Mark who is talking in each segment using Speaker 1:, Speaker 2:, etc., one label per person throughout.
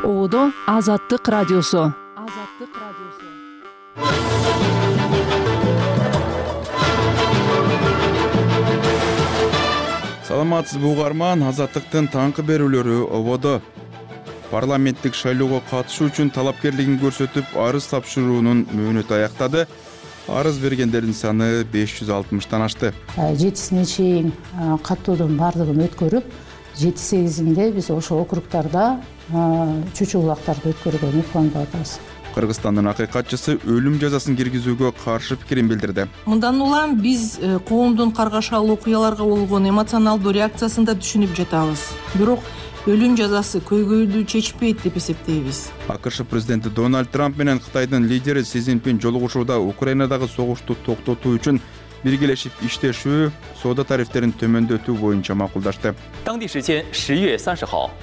Speaker 1: Оодо Азаттык радиосу.
Speaker 2: Саламатсызбы угарман, Азаттыктын таңкы берүүлөрү ободо. Парламенттик шайлоого катышуу үчүн талапкерлигин көрсөтүп, арыз тапшыруунун мөөнөтү аяктады. Арыз бергендердин саны 560тан ашты.
Speaker 3: 7-сине чейин каттоодун баардыгын өткөрүп, 7-8-инде биз ошол округдарда чүчү булактарды өткөргөнү пландап атабыз.
Speaker 2: Кыргызстандын акыйкатчысы өлүм жазасын киргизүүгө каршы пикирин билдирди.
Speaker 4: Мындан улам биз коомдун каргашалуу окуяларга болгон эмоционалдуу реакциясын да түшүнүп жатабыз. Бирок өлүм жазасы көйгөйдү чечпейт деп эсептейбиз.
Speaker 2: АКШ президенти Дональд Трамп менен Кытайдын лидери Си Цзиньпин жолугушууда Украинадагы согушту токтотуу үчүн биргелешип иштешүү, соода тарифтерин төмөндөтүү боюнча макулдашты.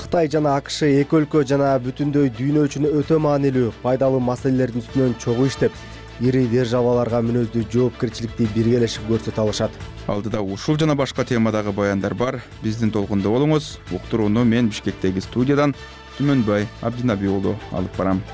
Speaker 5: Кытай жана АКШ эки өлкө жана бүтүндөй дүйнө үчүн өтө маанилүү, пайдалуу маселелердин үстүнөн чогуу иштеп, ири державаларга мүнөздүү жоопкерчиликти биргелешип көрсөтө алышат.
Speaker 2: Алдыда ушул жана башка темадагы баяндар бар. Биздин толкунда болуңуз. Уктурууну мен Бишкектеги студиядан Түмөнбай Абдинаби уулу алып барам.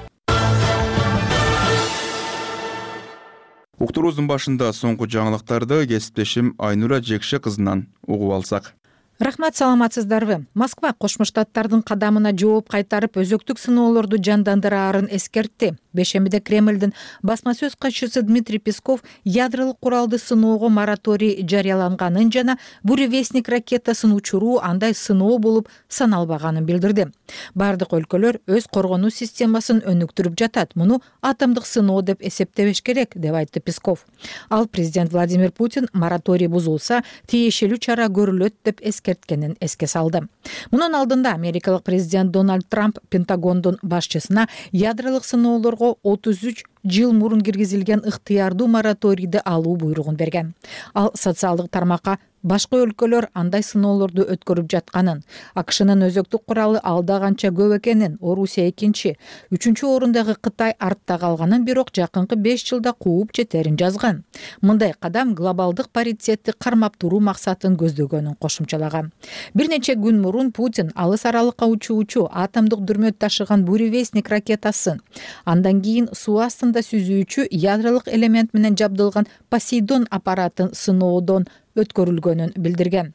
Speaker 2: Уктуруубуздун башында соңку жаңылыктарды кесиптешим Айнура Жекше кызынан угуп алсак.
Speaker 6: Рахмат, саламатсыздарбы? Москва Кошмо Штаттардын кадамына жооп кайтарып, өзөктүк сыноолорду жандандыраарын эскертти. Бешембиде Кремлдин басма сөз катчысы Дмитрий Песков ядролук куралды сыноого мораторий жарыяланганын жана буревестник ракетасын учуруу андай сыноо болуп саналбаганын билдирди. Бардык өлкөлөр өз коргонуу системасын өнүктүрүп жатат. Муну атомдук сыноо деп эсептебеш керек, деп айтты Песков. Ал президент Владимир Путин мораторий бузулса, тиешелүү чара көрүлөт деп эскерткенин эске салды. Мунун алдында америкалык президент Дональд Трамп Пентагондун башчысына ядролук сыноолорго 33 жыл мурун киргизилген ыктыярдуу мораторийди алуу буйругун берген. Ал социалдык тармакка башка өлкөлөр андай сыноолорду өткөрүп жатканын, АКШнын өзөктүк куралы алда канча көп экенин, Орусия 2-чи, 3-чү орундагы Кытай артта калганын, бирок жакынкы 5 жылда кууп жетерин жазган. Мындай кадам глобалдык паритетти кармап туруу максатын көздөгөнүн кошумчалаган. Бир нече күн мурун Путин алыс аралыкка учуучу атомдук дүрмөт ташыган буревестник ракетасын, андан кийин суу астында сүзүүчү ядролук элемент менен жабдылган Посейдон аппаратын сыноодон өткөрүлгөнүн билдирген.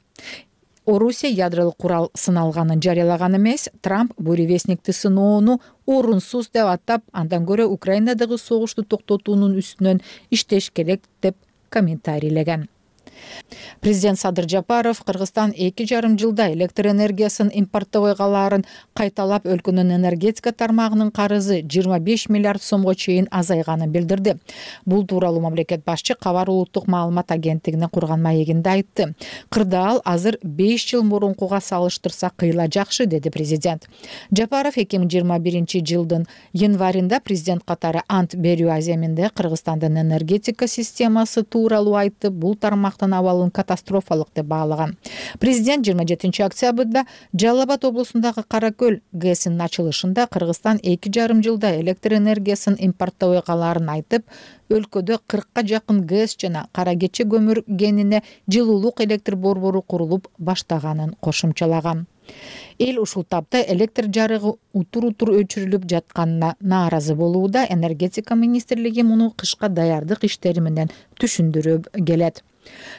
Speaker 6: Орусия ядролук курал сыналганын жарыялаган эмес, Трамп буревестникти сыноону орунсуз деп атап, андан көрө Украинадагы согушту токтотуунун үстүнөн иштеш керек деп комментарийлеген. Президент Садыр Жапаров Кыргызстан 2,5 жылда электр энергиясын импорттобой калаарын кайталап, өлкөнүн энергетика тармагынын карызы 25 миллиард сомго чейин азайганын билдирди. Бул тууралуу мамлекет башчы Кабар улуттук маалымат агенттигине курган маегинде айтты. Кырдаал азыр 5 жыл мурункуга салыштырсак кыйла жакшы, деди президент. Жапаров 2021 жылдын январында президент катары ант берүү аземинде Кыргызстандын энергетика системасы тууралуу айтып, бул тармактын абалын катастрофалык деп баалаган. Президент 27 октябрда Жалал Абад облусундагы Каракөл ГЭСинин ачылышында Кыргызстан 2,5 жылда электр энергиясын импорттобой калаарын айтып, өлкөдө 40-ка жакын ГЭС жана Кара Кече көмүр кенине жылуулук электр борбору курулуп баштаганын кошумчалаган. Эл ушул тапта электр жарыгы утур-утур өчүрүлүп жатканына нааразы болууда. Энергетика министрлиги муну кышка даярдык иштери менен түшүндүрүп келет.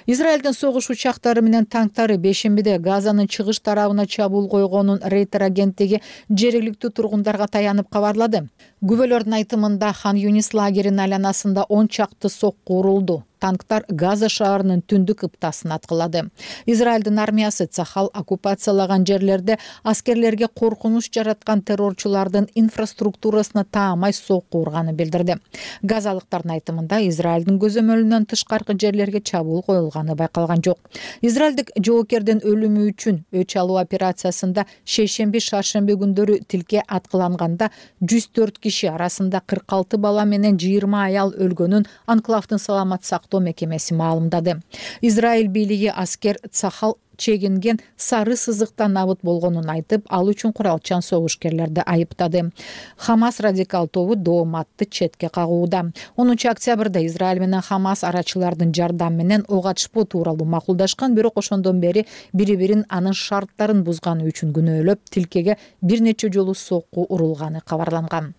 Speaker 6: Израилдин согуш учактары менен танктары бешембиде Газанын чыгыш тарабына чабуул койгонун Рейтер агенттиги жергиликтүү тургундарга таянып кабарлады. Күбөлөрдүн айтымында Хан Юнис лагеринин айланасында 10 чакты сокку урулду. Танктар Газа шаарынын түндүк ыптасын аткылады. Израилдин армиясы Цахал оккупациялаган жерлерде аскерлерге коркунуч жараткан террорчулардын инфраструктурасына таамай сокку урганын билдирди. Газалыктардын айтымында Израилдин көзөмөлүнөн тышкаркы жерлерге чабуул коюлганы байкалган жок. Израилдик жоокердин өлүмү үчүн өч алуу операциясында шейшемби-шаршемби күндөрү тилке аткыланганда 104 киши, арасында 46 бала менен 20 аял өлгөнүн анклавдын саламат сактоо каттоо мекемеси маалымдады. Израиль бийлиги аскер Цахал чегинген сары сызыктан набыт болгонун айтып, ал үчүн куралчан согушкерлерди айыптады. Хамас радикал тобу дооматты четке кагууда. 10 октябрда Израиль менен Хамас арачылардын жардамы менен ок атышпоо тууралуу макулдашкан, бирок ошондон бери бири-бирин анын шарттарын бузганы үчүн күнөөлөп, тилкеге бир нече жолу сокку урулганы кабарланган.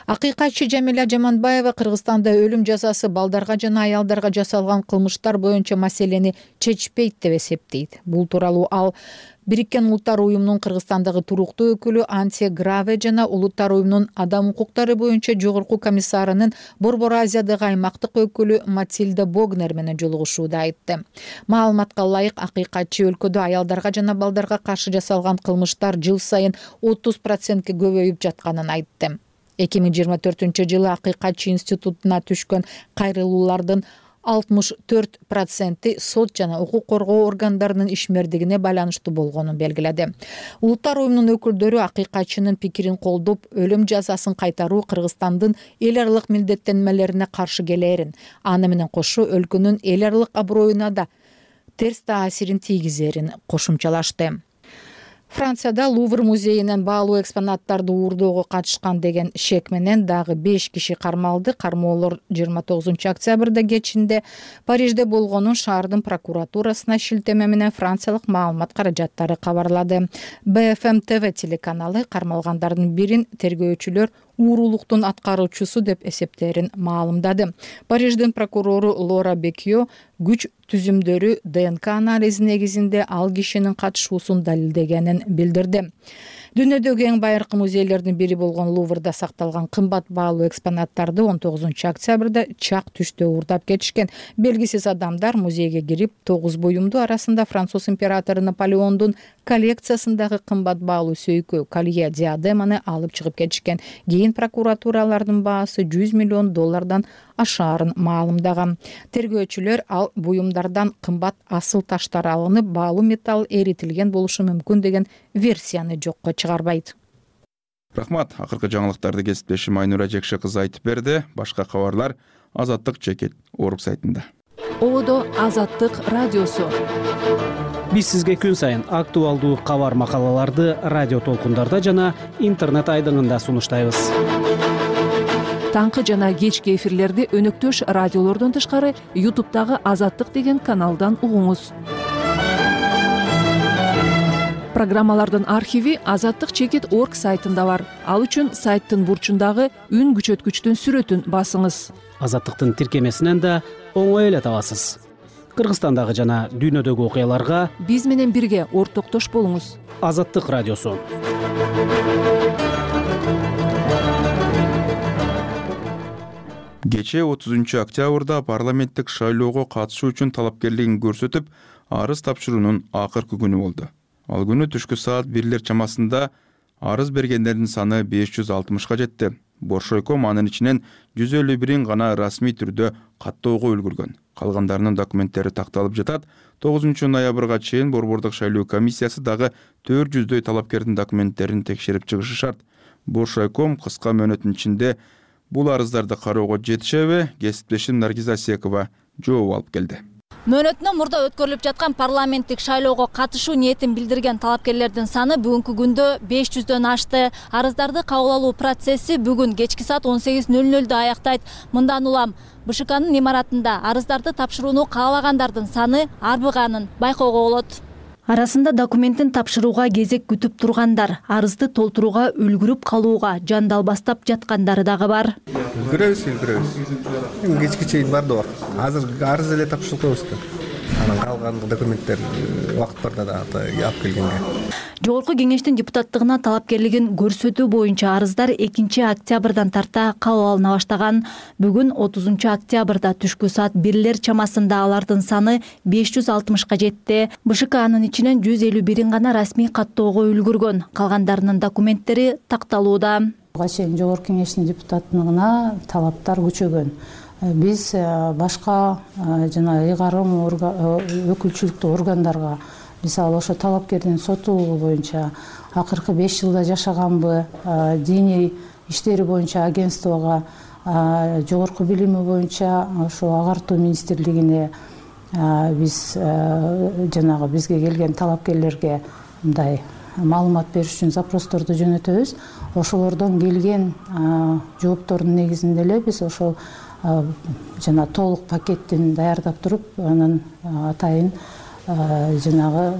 Speaker 6: Акыйкатчы Жамиля Жаманбаева Кыргызстанда өлүм жазасы балдарга жана аялдарга жасалган кылмыштар боюнча маселени чечпейт деп эсептейт. Бул тууралуу ал Бириккен Улуттар уюмунун Кыргызстандагы туруктуу өкүлү Антия Граве жана Улуттар уюмунун адам укуктары боюнча жогорку комиссарынын Борбор Азиядагы аймактык өкүлү Матильда Богнер менен жолугушууда айтты. Маалыматка ылайык, акыйкатчы өлкөдө аялдарга жана балдарга каршы жасалган кылмыштар жыл сайын 30% көбөйүп жатканын айтты. 2024-жылы Акыйкатчы институтуна түшкөн кайрылуулардын 64% сот жана укук коргоо органдарынын ишмердигине байланыштуу болгонун белгиледи. Улуттар уюмунун өкүлдөрү акыйкатчынын пикирин колдоп, өлүм жазасын кайтаруу Кыргызстандын эл аралык милдеттенмелерине каршы келерин, аны менен кошо өлкөнүн эл аралык аброюна да терс таасирин тийгизерин кошумчалашты. Францияда Лувр музейинен баалуу экспонаттарды уурдоого катышкан деген шек менен дагы 5 киши кармалды. Кармоолор 29 октябрда кечинде Парижде болгонун шаардын прокуратурасына шилтеме менен франциялык маалымат каражаттары кабарлады. BFM TV телеканалы кармалгандардын бирин тергөөчүлөр уурулуктун аткаруучусу деп эсептерин маалымдады. Париждин прокурору Лора Бекио күч түзүмдөрү ДНК анализи негизинде ал кишинин катышуусун далилдегенин билдирди. Дүйнөдөгү эң байыркы музейлердин бири болгон Луврда сакталган кымбат баалуу экспонаттарды 19 октябрда чак түштө уурдап кетишкен. Белгисиз адамдар музейге кирип, 9 буюмду арасында француз императору Наполеондун коллекциясындагы кымбат баалуу сөйкө, колье, диадеманы алып чыгып кетишкен. Кийин прокуратуралардын баасы $100 миллион ашаарын маалымдаган. Тергөөчүлөр ал буюмдардан кымбат асыл таштар алынып, баалуу металл эритилген болушу мүмкүн деген версияны жокко чыгарбайт.
Speaker 2: Рахмат. Акыркы жаңылыктарды кесиптешим Айнура Жекше кызы айтып берди. Башка кабарлар Азаттык Чекит орг сайтында.
Speaker 1: Ободо Азаттык радиосу.
Speaker 7: Биз сизге күн сайын актуалдуу кабар макалаларды радио толкундарда жана интернет айдыңында сунуштайбыз.
Speaker 1: Таңкы жана кечки эфирлерди өнөктөш радиолордон тышкары YouTube'дагы Азаттык деген каналдан угуңуз. Программалардын архиви Азаттык Чекит орг сайтында бар. Ал үчүн сайттын бурчундагы үн күчөткүчтүн сүрөтүн басыңыз.
Speaker 7: Азаттыктын тиркемесинен да оңой эле табасыз. Кыргызстандагы жана дүйнөдөгү окуяларга
Speaker 1: биз менен бирге ортоктош болуңуз.
Speaker 7: Азаттык радиосу.
Speaker 2: Кечээ 30 октябрда парламенттик шайлоого катышуу үчүн талапкерлигин көрсөтүп, арыз тапшыруунун акыркы күнү болду. Ал күнү түшкү саат 1 чамасында арыз бергендердин саны 560 жетти. Боршойком анын ичинен 151 гана расмий түрдө каттоого үлгүргөн. Калгандарынын документтери такталып жатат. 9 ноябрга чейин Борбордук шайлоо комиссиясы дагы 400дөй талапкердин документтерин текшерип чыгышы шарт. Боршойком кыска мөөнөттүн ичинде бул арыздарды кароого жетишеби? Кесиптешим Наргиза Секова жооп алып келди.
Speaker 8: Мөөнөтүнөн мурда өткөрүлүп жаткан парламенттик шайлоого катышуу ниетин билдирген талапкерлердин саны бүгүнкү күндө 500дөн ашты. Арыздарды кабыл алуу процесси бүгүн кечки саат 18:00 аяктайт. Мындан улам БШКнын имаратында арыздарды тапшырууну каалагандардын саны арбыганын байкоого болот. Арасында документин тапшырууга кезек күтүп тургандар, арызды толтурууга үлгүрүп калууга жандал бастап жаткандары дагы бар.
Speaker 9: Үлгүрөбүз. Кечке чейин барды бар. Азыр арыз эле тапшырып коебуз да. Анан калган документтер убакыт барда да алып келгенге.
Speaker 8: Жогорку кеңештин депутаттыгына талапкерлигин көрсөтүү боюнча арыздар 2 октябрдан тарта кабыл алына баштаган. Бүгүн 30 октябрда түшкү саат 1 чамасында алардын саны 560 жетти. БШК анын ичинен 151 гана расмий каттоого үлгүргөн. Калгандарынын документтери такталууда.
Speaker 3: Чейин жогорку кеңештин депутаттыгына талаптар күчөгөн. Биз башка жана ыйгарым өкүлчүлүктүү органдарга, мисалы ошо талапкердин сотулугу боюнча акыркы 5 жылда жашаганбы, диний иштери боюнча агентствого жогорку билими боюнча ошо агартуу министрлигине биз жанагы бизге келген талапкерлерге мындай маалымат бериш үчүн запросторду жөнөтөбүз. Ошолордон келген жооптордун негизинде эле биз ошол жана толук пакеттин даярдап туруп, анан атайын жанагы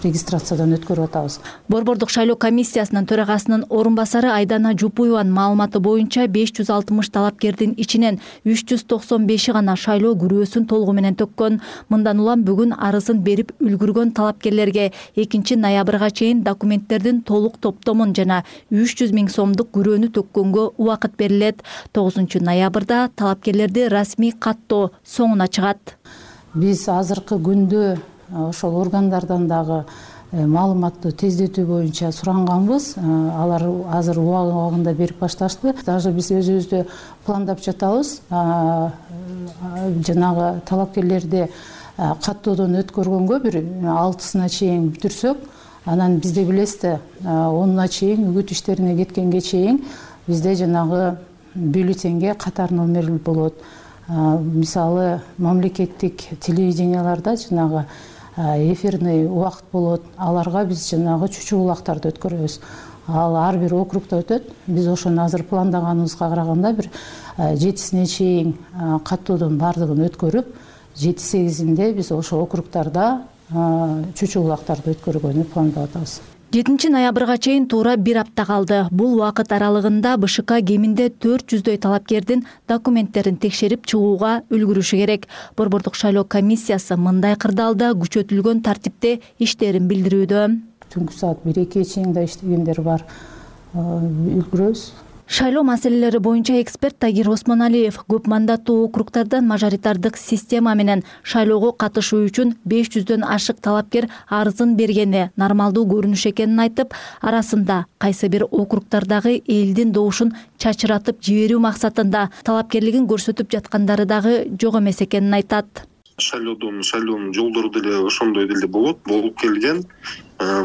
Speaker 3: регистрациядан өткөрүп атабыз.
Speaker 8: Борбордук шайлоо комиссиясынын төрагасынын орун басары Айдана Жупуеванын маалыматы боюнча 560 талапкердин ичинен 395 гана шайлоо күрөөсүн толугу менен төккөн. Мындан улам бүгүн арызын берип үлгүргөн талапкерлерге 2 ноябрга чейин документтердин толук топтомун жана 300 000 сомдук күрөөнү төккөнгө убакыт берилет. 9 ноябрда талапкерлерди расмий каттоо соңуна чыгат.
Speaker 3: Биз азыркы күндө ошол органдардан дагы маалыматты тездетүү боюнча суранганбыз. Алар азыр убагында берип башташты. Даже биз өзүбүздө пландап жатабыз. Жанагы талапкерлерди каттоодон өткөргөнгө бир 6-сына чейин бүтүрсөк, анан бизде билесиз, 10-на чейин үгүт иштерине кеткенге чейин бизде жанагы бюллетенге катар номер болот. Мисалы, мамлекеттик телевиденияларда жанагы эфирный убакыт болот. Аларга биз жанагы чүчү булактарды өткөрөбүз. Ал ар бир округда өтөт. Биз ошону азыр пландаганыбызга караганда бир 7-сине чейин каттоодон бардыгын өткөрүп, 7-8-инде биз ошо округдарда чүчү булактарды өткөргөнү пландап атабыз.
Speaker 8: 7 ноябрга чейин туура 1 апта калды. Бул убакыт аралыгында БШК кеминде 400дөй талапкердин документтерин текшерип чыгууга үлгүрүшү керек. Борбордук шайлоо комиссиясы мындай кырдаалда күчөтүлгөн тартипте иштерин билдирүүдө.
Speaker 3: Түнкү саат 1-2 чейин да иштегендер бар. Үлгүрөбүз.
Speaker 8: Шайлоо маселелери боюнча эксперт Тагир Осмоналиев көп мандаттуу округдардан мажоритардык система менен шайлоого катышуу үчүн 500дөн ашык талапкер арызын бергени нормалдуу көрүнүш экенин айтып, арасында кайсы бир округдардагы элдин добушун чачыратып жиберүү максатында талапкерлигин көрсөтүп жаткандары дагы жок эмес экенин айтат.
Speaker 10: Шайлоонун жолдору деле ошондой деле болуп келген.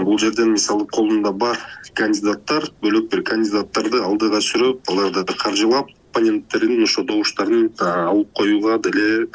Speaker 10: Бул жерден мисалы колунда бар кандидаттар бөлөк бир кандидаттарды алдыга сүрөп, аларды каржылап, оппоненттерин ошо добуштарын алып коюуга деле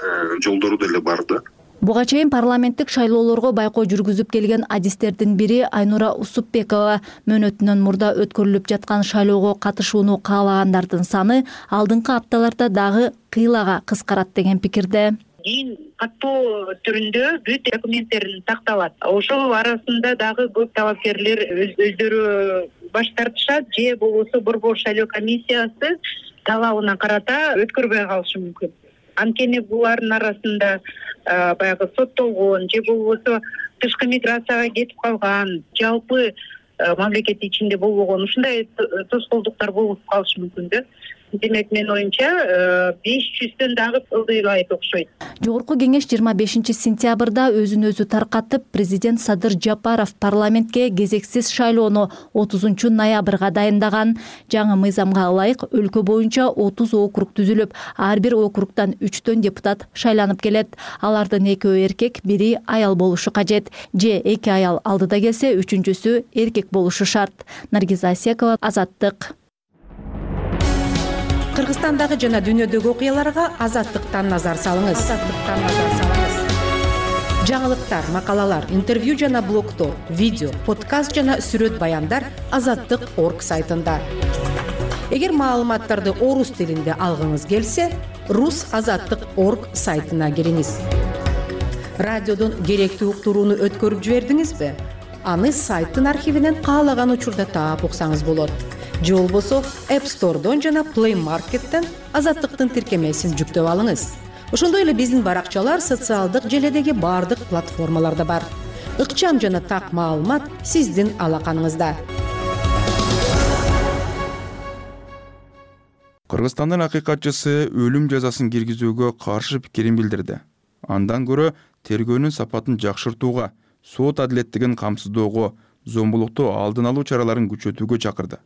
Speaker 10: жолдору деле бар да.
Speaker 8: Буга чейин парламенттик шайлоолорго байкоо жүргүзүп келген адистердин бири Айнура Усупбекова мөөнөтүнөн мурда өткөрүлүп жаткан шайлоого катышууну каалагандардын саны алдыңкы апталарда дагы кыйлага кыскарат деген пикирде.
Speaker 11: Кийин каттоо түрүндө бүт документтерин такталат. Ошол арасында дагы көп талапкерлер өздөрү баш тартышат же болбосо борбор шайлоо комиссиясы талабына карата өткөрбөй калышы мүмкүн. Анткени булардын арасында баягы соттолгон же болбосо тышкы миграцияга кетип калган, жалпы мамлекет ичинде болбогон ушундай тоскоолдуктар болуп калышы мүмкүн да. Демек, мен оюмча 500дөн дагы ылдыйлайт окшойт.
Speaker 8: Жогорку кеңеш 25 сентябрда өзүн өзү таркатып, президент Садыр Жапаров парламентке кезексиз шайлоону 30 ноябрга дайындаган. Жаңы мыйзамга ылайык өлкө боюнча 30 округ түзүлүп, ар бир округдан 3 депутат шайланып келет. Алардын 2 эркек, бири аял болушу кажет. Же 2 аял алдыда келсе, 3-чүсү эркек болушу шарт. Наргиза Асекова, Азаттык.
Speaker 6: Кыргызстандагы жана дүйнөдөгү окуяларга Азаттыктан назар салыңыз. Жаңылыктар, макалалар, интервью жана блогдор, видео, подкаст жана сүрөт баяндар Азаттык.org сайтында. Эгер маалыматтарды орус тилинде алгыңыз келсе, rusazаттык.org сайтына кириңиз. Радиодон керектүү уктурууну өткөрүп жибердиңизби? Аны сайттын архивинен каалаган учурда таап уксаңыз болот. Же болбосо App Store'дон жана Play Market'тен Азаттыктын тиркемесин жүктөп алыңыз. Ошондой эле биздин баракчалар социалдык желедеги бардык платформаларда бар. Ыкчам жана так маалымат сиздин алаканыңызда.
Speaker 2: Кыргызстандын акыйкатчысы өлүм жазасын киргизүүгө каршы пикирин билдирди. Андан көрө тергөөнүн сапатын жакшыртууга, сот адилеттигин камсыздоого, зомбулукту алдын алуу чараларын күчөтүүгө чакырды.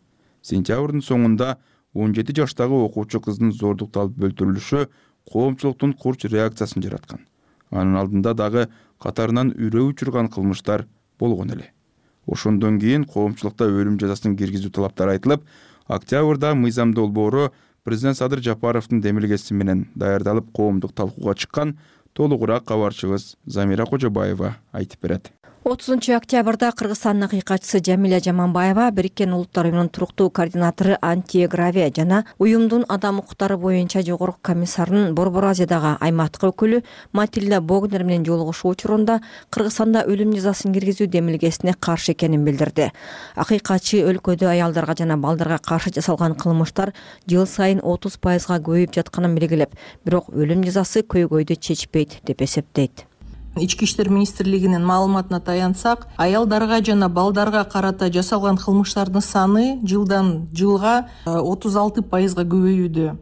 Speaker 2: Сентябрдын соңунда 17 жаштагы окуучу кыздын зордукталып өлтүрүлүшү коомчулуктун курч реакциясын жараткан. Анын алдында дагы катарынан үрөө учурган кылмыштар болгон эле. Ошондон кийин коомчулукта өлүм жазасын киргизүү талаптары айтылып, октябрда мыйзам долбоору президент Садыр Жапаровдун демилгеси менен даярдалып коомдук талкууга чыккан. Толугураак кабарчыбыз Замира Кожобаева айтып берет.
Speaker 12: 30 октябрда Кыргызстандын акыйкатчысы Жамиля Жаманбаева Бириккен Улуттар уюмунун туруктуу координатору Антия Граве жана уюмдун адам укуктары боюнча жогорку комиссарынын Борбор Азиядагы аймактык өкүлү Матильда Богнер менен жолугушуу учурунда Кыргызстанда өлүм жазасын киргизүү демилгесине каршы экенин билдирди. Акыйкатчы өлкөдө аялдарга жана балдарга каршы жасалган кылмыштар жыл сайын 30% көбөйүп жатканын белгилеп, бирок өлүм жазасы көйгөйдү чечпейт деп эсептейт.
Speaker 4: Ички иштер министрлигинин маалыматына таянсак, аялдарга жана балдарга карата жасалган кылмыштардын саны жылдан жылга 36% көбөйүүдө.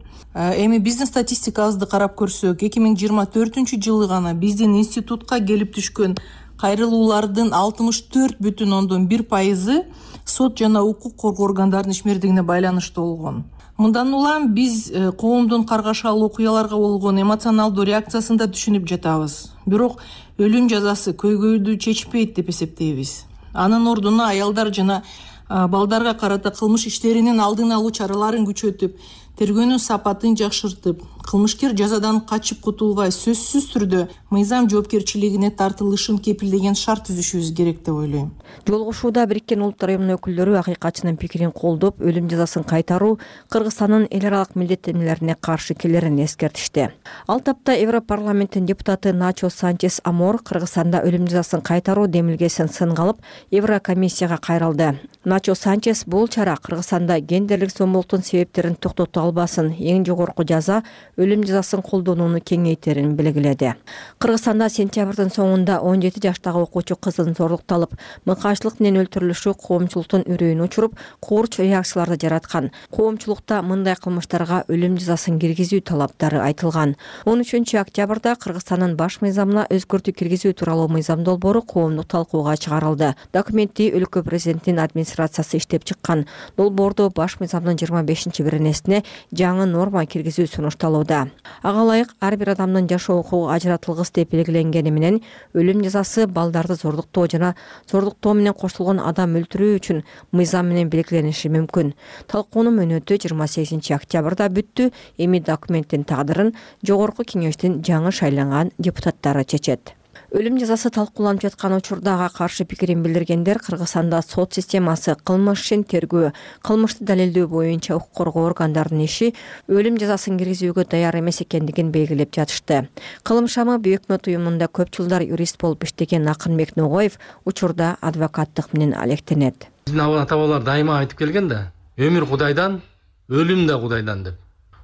Speaker 4: Эми биздин статистикабызды карап көрсөк, 2024 гана биздин институтка келип түшкөн кайрылуулардын 64,1% сот жана укук коргоо органдарынын ишмердигине байланыштуу болгон. Мындан улам биз коомдун каргашалуу окуяларга болгон эмоционалдуу реакциясын да түшүнүп жатабыз. Бирок өлүм жазасы көйгөйдү чечпейт деп эсептейбиз. Анын ордуна аялдар жана балдарга карата кылмыш иштеринин алдын алуу чараларын күчөтүп, тергөөнүн сапатын жакшыртып, кылмышкер жазадан качып кутулбай сөзсүз түрдө мыйзам жоопкерчилигине тартылышын кепилдеген шарт түзүшүбүз керек деп ойлойм.
Speaker 12: Жолугушууда Бириккен Улуттар уюмунун өкүлдөрү акыйкатчынын пикирин колдоп, өлүм жазасын кайтаруу Кыргызстандын эл аралык милдеттенмелерине каршы келерин эскертишти. Ал тапта Европарламенттин депутаты Начо Санчес Амор Кыргызстанда өлүм жазасын кайтаруу демилгесин сынга алып, Еврокомиссияга кайрылды. Начо Санчес бул чара Кыргызстанда гендерлик зомбулуктун себептерин токтото албасын, эң жогорку жаза өлүм жазасын колдонууну кеңейтерин белгиледи. Кыргызстанда сентябрдын соңунда 17 жаштагы окуучу кыздын зорлукталып, мыкаачылык менен өлтүрүлүшү коомчулуктун үрөйүн учуруп, куурч реакцияларды жараткан. Коомчулукта мындай кылмыштарга өлүм жазасын киргизүү талаптары айтылган. 13 октябрда Кыргызстандын баш мыйзамына өзгөртүү киргизүү тууралуу мыйзам долбоору коомдук талкууга чыгарылды. Документти өлкө президентинин администрациясы иштеп чыккан. Долбоордо баш мыйзамдын 25-беренесине жаңы норма киргизүү сунушталууда. Ага ылайык ар бир адамдын жашоо укугу ажыратылгыс деп белгиленгени менен өлүм жазасы балдарды зордуктоо жана зордуктоо менен коштолгон адам өлтүрүү үчүн мыйзам менен белгилениши мүмкүн. Талкуунун мөөнөтү 28 октябрда бүттү. Эми документтин тагдырын жогорку кеңештин жаңы шайланган депутаттары чечет. Өлүм жазасы талкууланып жаткан учурда ага каршы пикирин билдиргендер Кыргызстанда сот системасы, кылмыш ишин тергөө, кылмышты далилдөө боюнча укук коргоо органдарынын иши өлүм жазасын киргизүүгө даяр эмес экендигин белгилеп жатышты. Кылым шамы Бүйөкмөт уюмунда көп жылдар юрист болуп иштеген Акынбек Ногоев учурда адвокаттык менен алектенет.
Speaker 13: Биздин ата-бабалар дайыма айтып келген да, өмүр Кудайдан, өлүм да Кудайдан деп.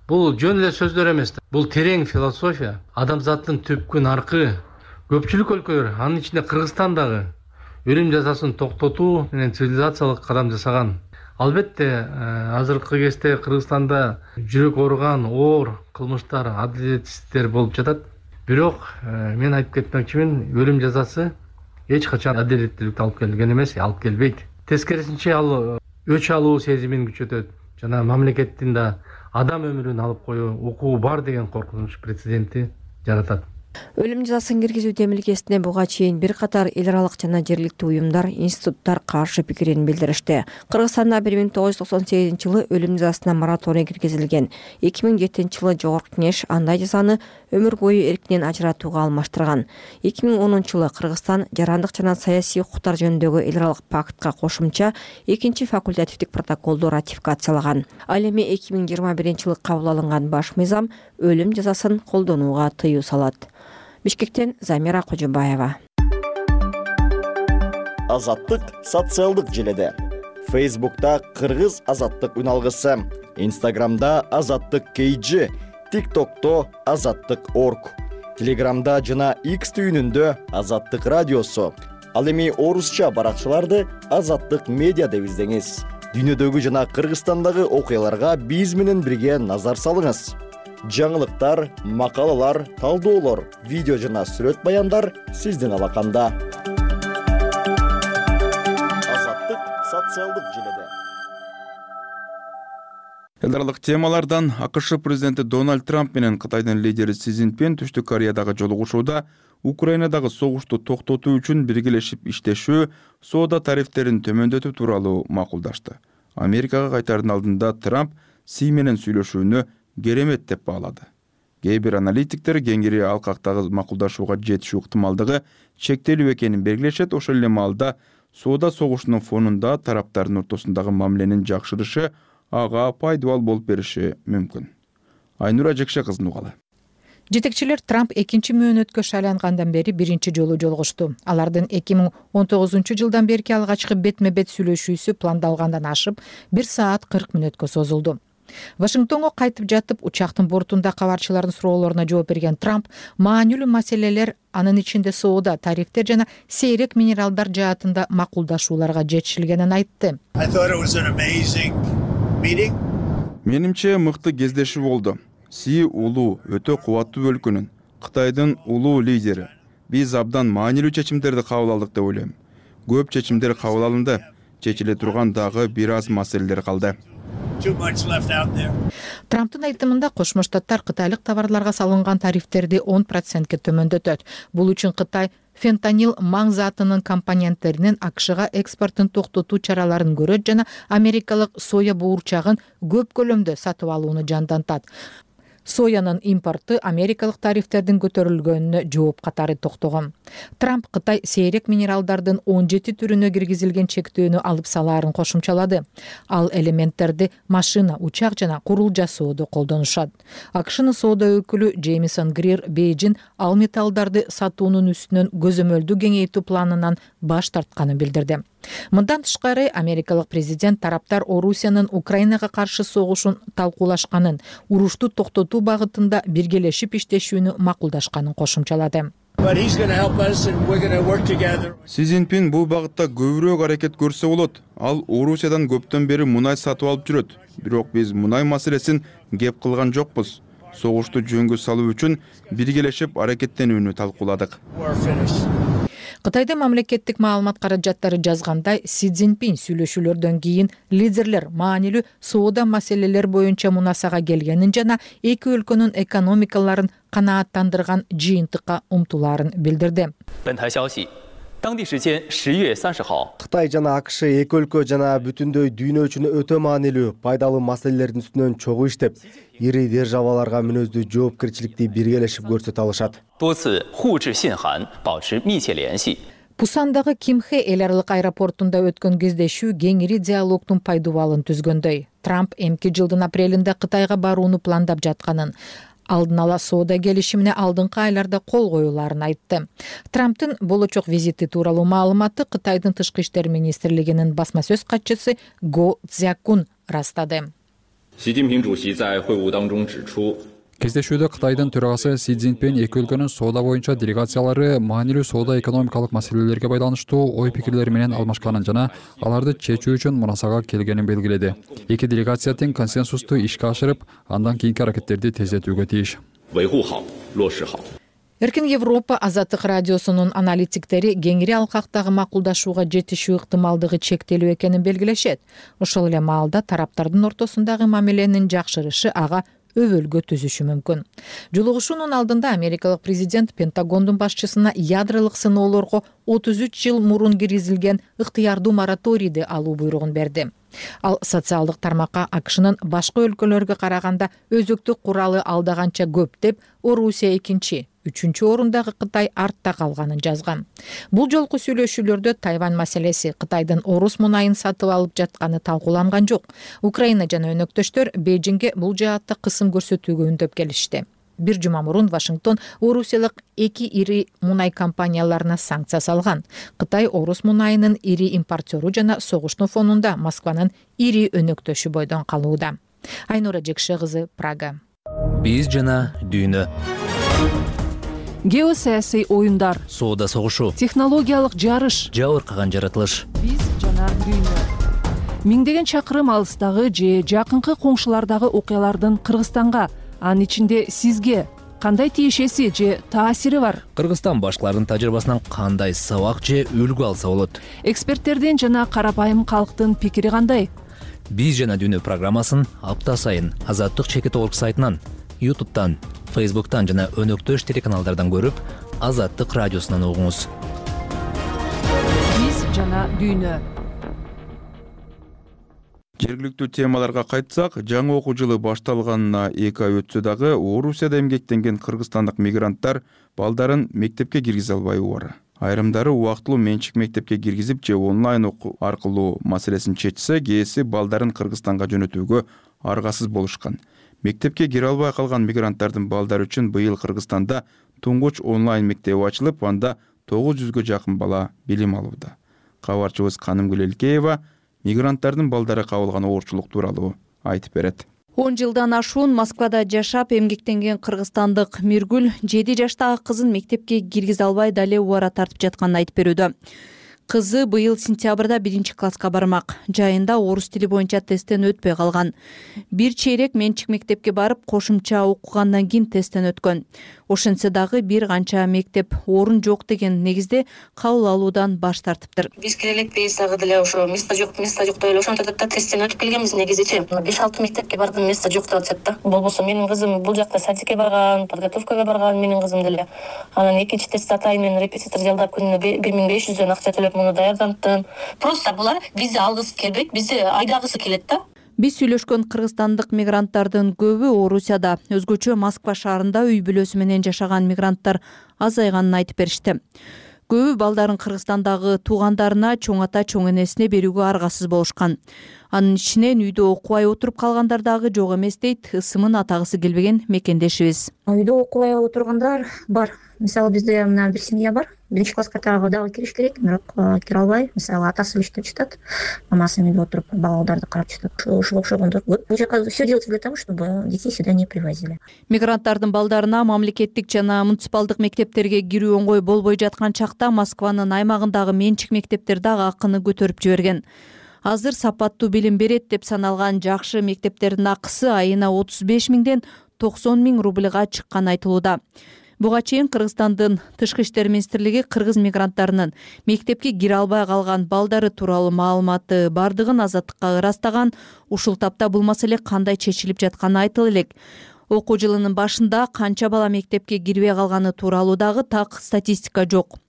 Speaker 13: Бул жөн эле сөздөр эмес. Бул терең философия, адамзаттын түпкү наркы. Көпчүлүк өлкөлөр, анын ичинде Кыргызстан дагы өлүм жазасын токтотуу менен цивилизациялык кадам жасаган. Албетте, азыркы кезде Кыргызстанда жүрөк ооруган, оор кылмыштар, адилетсиздиктер болуп жатат. Бирок мен айтып кетмекчимин, өлүм жазасы эч качан адилеттүүлүктү алып келген эмес, алып келбейт. Тескерисинче ал өч алуу сезимин күчөтөт жана мамлекеттин да адам өмүрүн алып коюу укугу бар деген коркунуч прецедентти жаратат.
Speaker 12: Өлүм жазасын киргизүү демилгесине буга чейин бир катар эл аралык жана жергиликтүү уюмдар, институттар каршы пикирин билдиришти. Кыргызстанда 1998 жылы өлүм жазасына мораторий киргизилген. 2007 жылы жогорку кеңеш андай жазаны өмүр бою эркинен ажыратууга алмаштырган. 2010 жылы Кыргызстан жарандык жана саясий укуктар жөнүндөгү эл аралык пактка кошумча 2 факультативдик протоколду ратификациялаган. Ал эми 2021 жылы кабыл алынган баш мыйзам өлүм жазасын колдонууга тыюу салат. Бишкектен Замира Кожобаева.
Speaker 14: Азаттык социалдык желеде. Facebook'ta Кыргыз азаттык үналгысы, Instagram'da азаттык KG, TikTok'ta azattık.org, Telegram'da жана X түйүнүндө азаттык радиосу. Ал эми орусча баракчаларды азаттык медиа деп издеңиз. Дүйнөдөгү жана Кыргызстандагы окуяларга биз менен бирге назар салыңыз. Жаңылыктар, макалалар, талдоолор, видео жана сүрөт баяндар сиздин алаканда. Азаттык социалдык желеде.
Speaker 2: Эл аралык темалардан АКШ президенти Дональд Трамп менен Кытайдын лидери Си Цзиньпин Түштүк Кореядагы жолугушууда Украинадагы согушту токтотуу үчүн биргелешип иштешүү, соода тарифтерин төмөндөтүү тууралуу макулдашты. Америкага кайтардын алдында Трамп Си менен сүйлөшүүнү керемет деп баалады. Кээ бир аналитиктер кеңири алкактагы макулдашууга жетишүү ыктымалдыгы чектелүү экенин белгилешет. Ошол эле маалда соода согушунун фонунда тараптардын ортосундагы мамиленин жакшырышы ага пайдалуу болуп бериши мүмкүн. Айнура Жекше кызынын угалы.
Speaker 6: Жетекчилер Трамп экинчи мөөнөткө шайлангандан бери биринчи жолу жолугушту. Алардын 2019 жылдан берки алгачкы бетме-бет сүйлөшүүсү пландалгандан ашып 1 саат 40 мүнөткө созулду. Вашингтонго кайтып жатып, учактын бортунда кабарчылардын суроолоруна жооп берген Трамп маанилүү маселелер, анын ичинде соода, тарифтер жана сейрек минералдар жаатында макулдашууларга жетишилгенин айтты.
Speaker 2: Менимче мыкты кездешүү болду. Си улуу, өтө кубаттуу өлкөнүн, Кытайдын улуу лидери. Биз абдан маанилүү чечимдерди кабыл алдык деп ойлойм. Көп чечимдер кабыл алынды. Чечиле турган дагы бир аз маселелер калды.
Speaker 6: Трамптын айтымында Кошмо Штаттар кытайлык товарларга салынган тарифтерди 10%ке төмөндөтөт. Бул үчүн Кытай фентанил маң затынын компоненттеринин АКШга экспортун токтотуу чараларын көрөт жана америкалык соя буурчагын көп көлөмдө сатып алууну жандантат. Соянын импорту америкалык тарифтердин көтөрүлгөнүнө жооп катары токтогон. Трамп Кытай сейрек минералдардын 17 түрүнө киргизилген чектөөнү алып салаарын кошумчалады. Ал элементтерди машина, учак жана курул жасоодо колдонушат. АКШнын соода өкүлү Джеймисон Грир Бейжин ал металлдарды сатуунун үстүнөн көзөмөлдүү кеңейтүү планынан баш тартканын билдирди. Мындан тышкары америкалык президент тараптар Орусиянын Украинага каршы согушун талкуулашканын, урушту токтотуу багытында биргелешип иштешүүнү макулдашканын кошумчалады.
Speaker 2: Си Цзиньпин бул багытта көбүрөөк аракет көрсө болот. Ал Орусиядан көптөн бери мунай сатып алып жүрөт. Бирок биз мунай маселесин кеп кылган жокпуз. Согушту жөнгө салуу үчүн биргелешип аракеттенүүнү талкууладык.
Speaker 6: Кытайдын мамлекеттик маалымат каражаттары жазгандай, Си Цзиньпин сүйлөшүүлөрдөн кийин лидерлер маанилүү соода маселелер боюнча мунасага келгенин жана эки өлкөнүн экономикаларын канааттандырган жыйынтыкка умтулаарын билдирди.
Speaker 5: Кытай жана АКШ эки өлкө жана бүтүндөй дүйнө үчүн өтө маанилүү, пайдалуу маселелердин үстүнөн чогуу иштеп, ири державаларга мүнөздүү жоопкерчиликти биргелешип көрсөтө алышат.
Speaker 6: Пусандагы Кимхэ эл аралык аэропортунда өткөн кездешүү кеңири диалогдун пайдубалын түзгөндөй. Трамп эмки жылдын апрелинде Кытайга барууну пландап жатканын, алдын ала соода келишимине алдыңкы айларда кол коюлаарын айтты. Трамптын болочок визити тууралуу маалыматты Кытайдын тышкы иштер министрлигинин басма сөз катчысы Го Цзякун ырастады.
Speaker 15: Кездешүүдө Кытайдын төрагасы Си Цзиньпин эки өлкөнүн соода боюнча делегациялары маанилүү соода экономикалык маселелерге байланыштуу ой пикирлери менен алмашканын жана аларды чечүү үчүн мунасага келгенин белгиледи. Эки делегация тең консенсусту ишке ашырып, андан кийинки аракеттерди тездетүүгө тийиш.
Speaker 6: Эркин Европа Азаттык радиосунун аналитиктери кеңири алкактагы макулдашууга жетишүү ыктымалдыгы чектелүү экенин белгилешет. Ошол эле маалда тараптардын ортосундагы мамиленин жакшырышы ага өбөлгө түзүшү мүмкүн. Жолугушуунун алдында америкалык президент Пентагондун башчысына ядролук сыноолорго 33 жыл мурун киргизилген ыктыярдуу мораторийди алуу буйругун берди. Ал социалдык тармакка АКШнын башка өлкөлөргө караганда өзөктүк куралы алдаганча көп деп, Орусия экинчи, үчүнчү орундагы Кытай артта калганын жазган. Бул жолку сүйлөшүүлөрдө Тайвань маселеси, Кытайдын орус мунайын сатып алып жатканы талкууланган жок. Украина жана өнөктөштөр Бейжиңге бул жаатта кысым көрсөтүүгө үндөп келишти. Бир жума мурун Вашингтон орусиялык эки ири мунай компанияларына санкция салган. Кытай орус мунайынын ири импортеру жана согуштун фонунда Москванын ири өнөктөшү бойдон калууда. Айнура Жекше кызы, Прага.
Speaker 16: Биз жана дүйнө.
Speaker 1: Геосаясий оюндар,
Speaker 16: соода согушу,
Speaker 1: технологиялык жарыш,
Speaker 16: жабыркаган жаратылыш.
Speaker 1: Биз жана дүйнө. Миңдеген чакырым алыстагы же жакынкы коңшулардагы окуялардын Кыргызстанга, анын ичинде сизге кандай тиешеси же таасири бар?
Speaker 16: Кыргызстан башкалардын тажрыйбасынан кандай сабак же үлгү алса болот?
Speaker 1: Эксперттердин жана карапайым калктын пикири кандай?
Speaker 16: Биз жана дүйнө программасын апта сайын Азаттык чекит орг сайтынан, YouTube'тан, Facebook'тан жана өнөктөш телеканалдардан көрүп, Азаттык радиосунан угуңуз.
Speaker 1: Биз жана дүйнө.
Speaker 2: Жергиликтүү темаларга кайтсак, жаңы окуу жылы башталганына 2 ай өтсө дагы Орусияда эмгектенген кыргызстандык мигранттар балдарын мектепке киргизе албай бар. Айрымдары убактылуу менчик мектепке киргизип же онлайн окуу аркылуу маселесин чечсе, кээси балдарын Кыргызстанга жөнөтүүгө аргасыз болушкан. Мектепке кире албай калган мигранттардын балдары үчүн быйыл Кыргызстанда туңгуч онлайн мектеби ачылып, анда 900гө жакын бала билим алууда. Кабарчыбыз Канымгүл Элкеева мигранттардын балдары кабылган оорчулук тууралуу айтып берет.
Speaker 17: 10 жылдан ашуун Москвада жашап эмгектенген кыргызстандык Миргүл 7 жаштагы кызын мектепке киргизе албай дале убара тартып жатканын айтып берүүдө. Кызы быйыл сентябрда 1-класска бармак. Жайында орус тили боюнча тесттен өтпөй калган. Бир чейрек менчик мектепке барып, кошумча окугандан кийин тесттен өткөн. Ошентсе дагы бир канча мектеп орун жок деген негизде кабыл алуудан баш тартыптыр.
Speaker 18: Биз кире элекпиз, дагы деле ошо место жок деп эле ошентип да тесттен өтүп келгенбиз негизичи. 5-6 мектепке бардым, место жок деп атышат да. Болбосо менин кызым бул жакта садикке барган, подготовкага барган менин кызым деле. Анан экинчи тест атайын мен репетитор жалдап күнүнө 1500 акча төлөп муну даярдаттым. Просто булар бизди алгысы келбейт, бизди айдагысы келет да.
Speaker 17: Биз сүйлөшкөн кыргызстандык мигранттардын көбү Орусияда, өзгөчө Москва шаарында үй бүлөсү менен жашаган мигранттар азайганын айтып беришти. Көбү балдарын Кыргызстандагы туугандарына, чоң ата, чоң энесине берүүгө аргасыз болушкан. Анын ичинен үйдө окубай отуруп калгандар дагы жок эмес дейт ысымын атагысы келбеген мекендешибиз.
Speaker 19: Үйдө окубай отургандар бар. Мисалы бизде мына бир семья бар. 1-класска дагы кириш керек, бирок кире албай. Мисалы атасы иштеп жатат, мамасы үйдө отуруп балдарды карап жатат. Ошого окшогондор көп. Бул жака все делается для того, чтобы детей сюда не привозили.
Speaker 17: Мигранттардын балдарына мамлекеттик жана муниципалдык мектептерге кирүү оңой болбой жаткан чакта Москванын аймагындагы менчик мектептер дагы акыны көтөрүп жиберген. Азыр сапаттуу билим берет деп саналган жакшы мектептердин акысы айына 35 миңден 90 миң рубльга чыкканы айтылууда. Буга чейин Кыргызстандын Тышкы иштер министрлиги кыргыз мигранттарынын мектепке кире албай калган балдары тууралуу маалыматы бардыгын Азаттыкка ырастаган. Ушул тапта бул маселе кандай чечилип жатканы айтылы элек. Окуу жылынын башында канча бала мектепке кирбей калганы тууралуу дагы так статистика жок.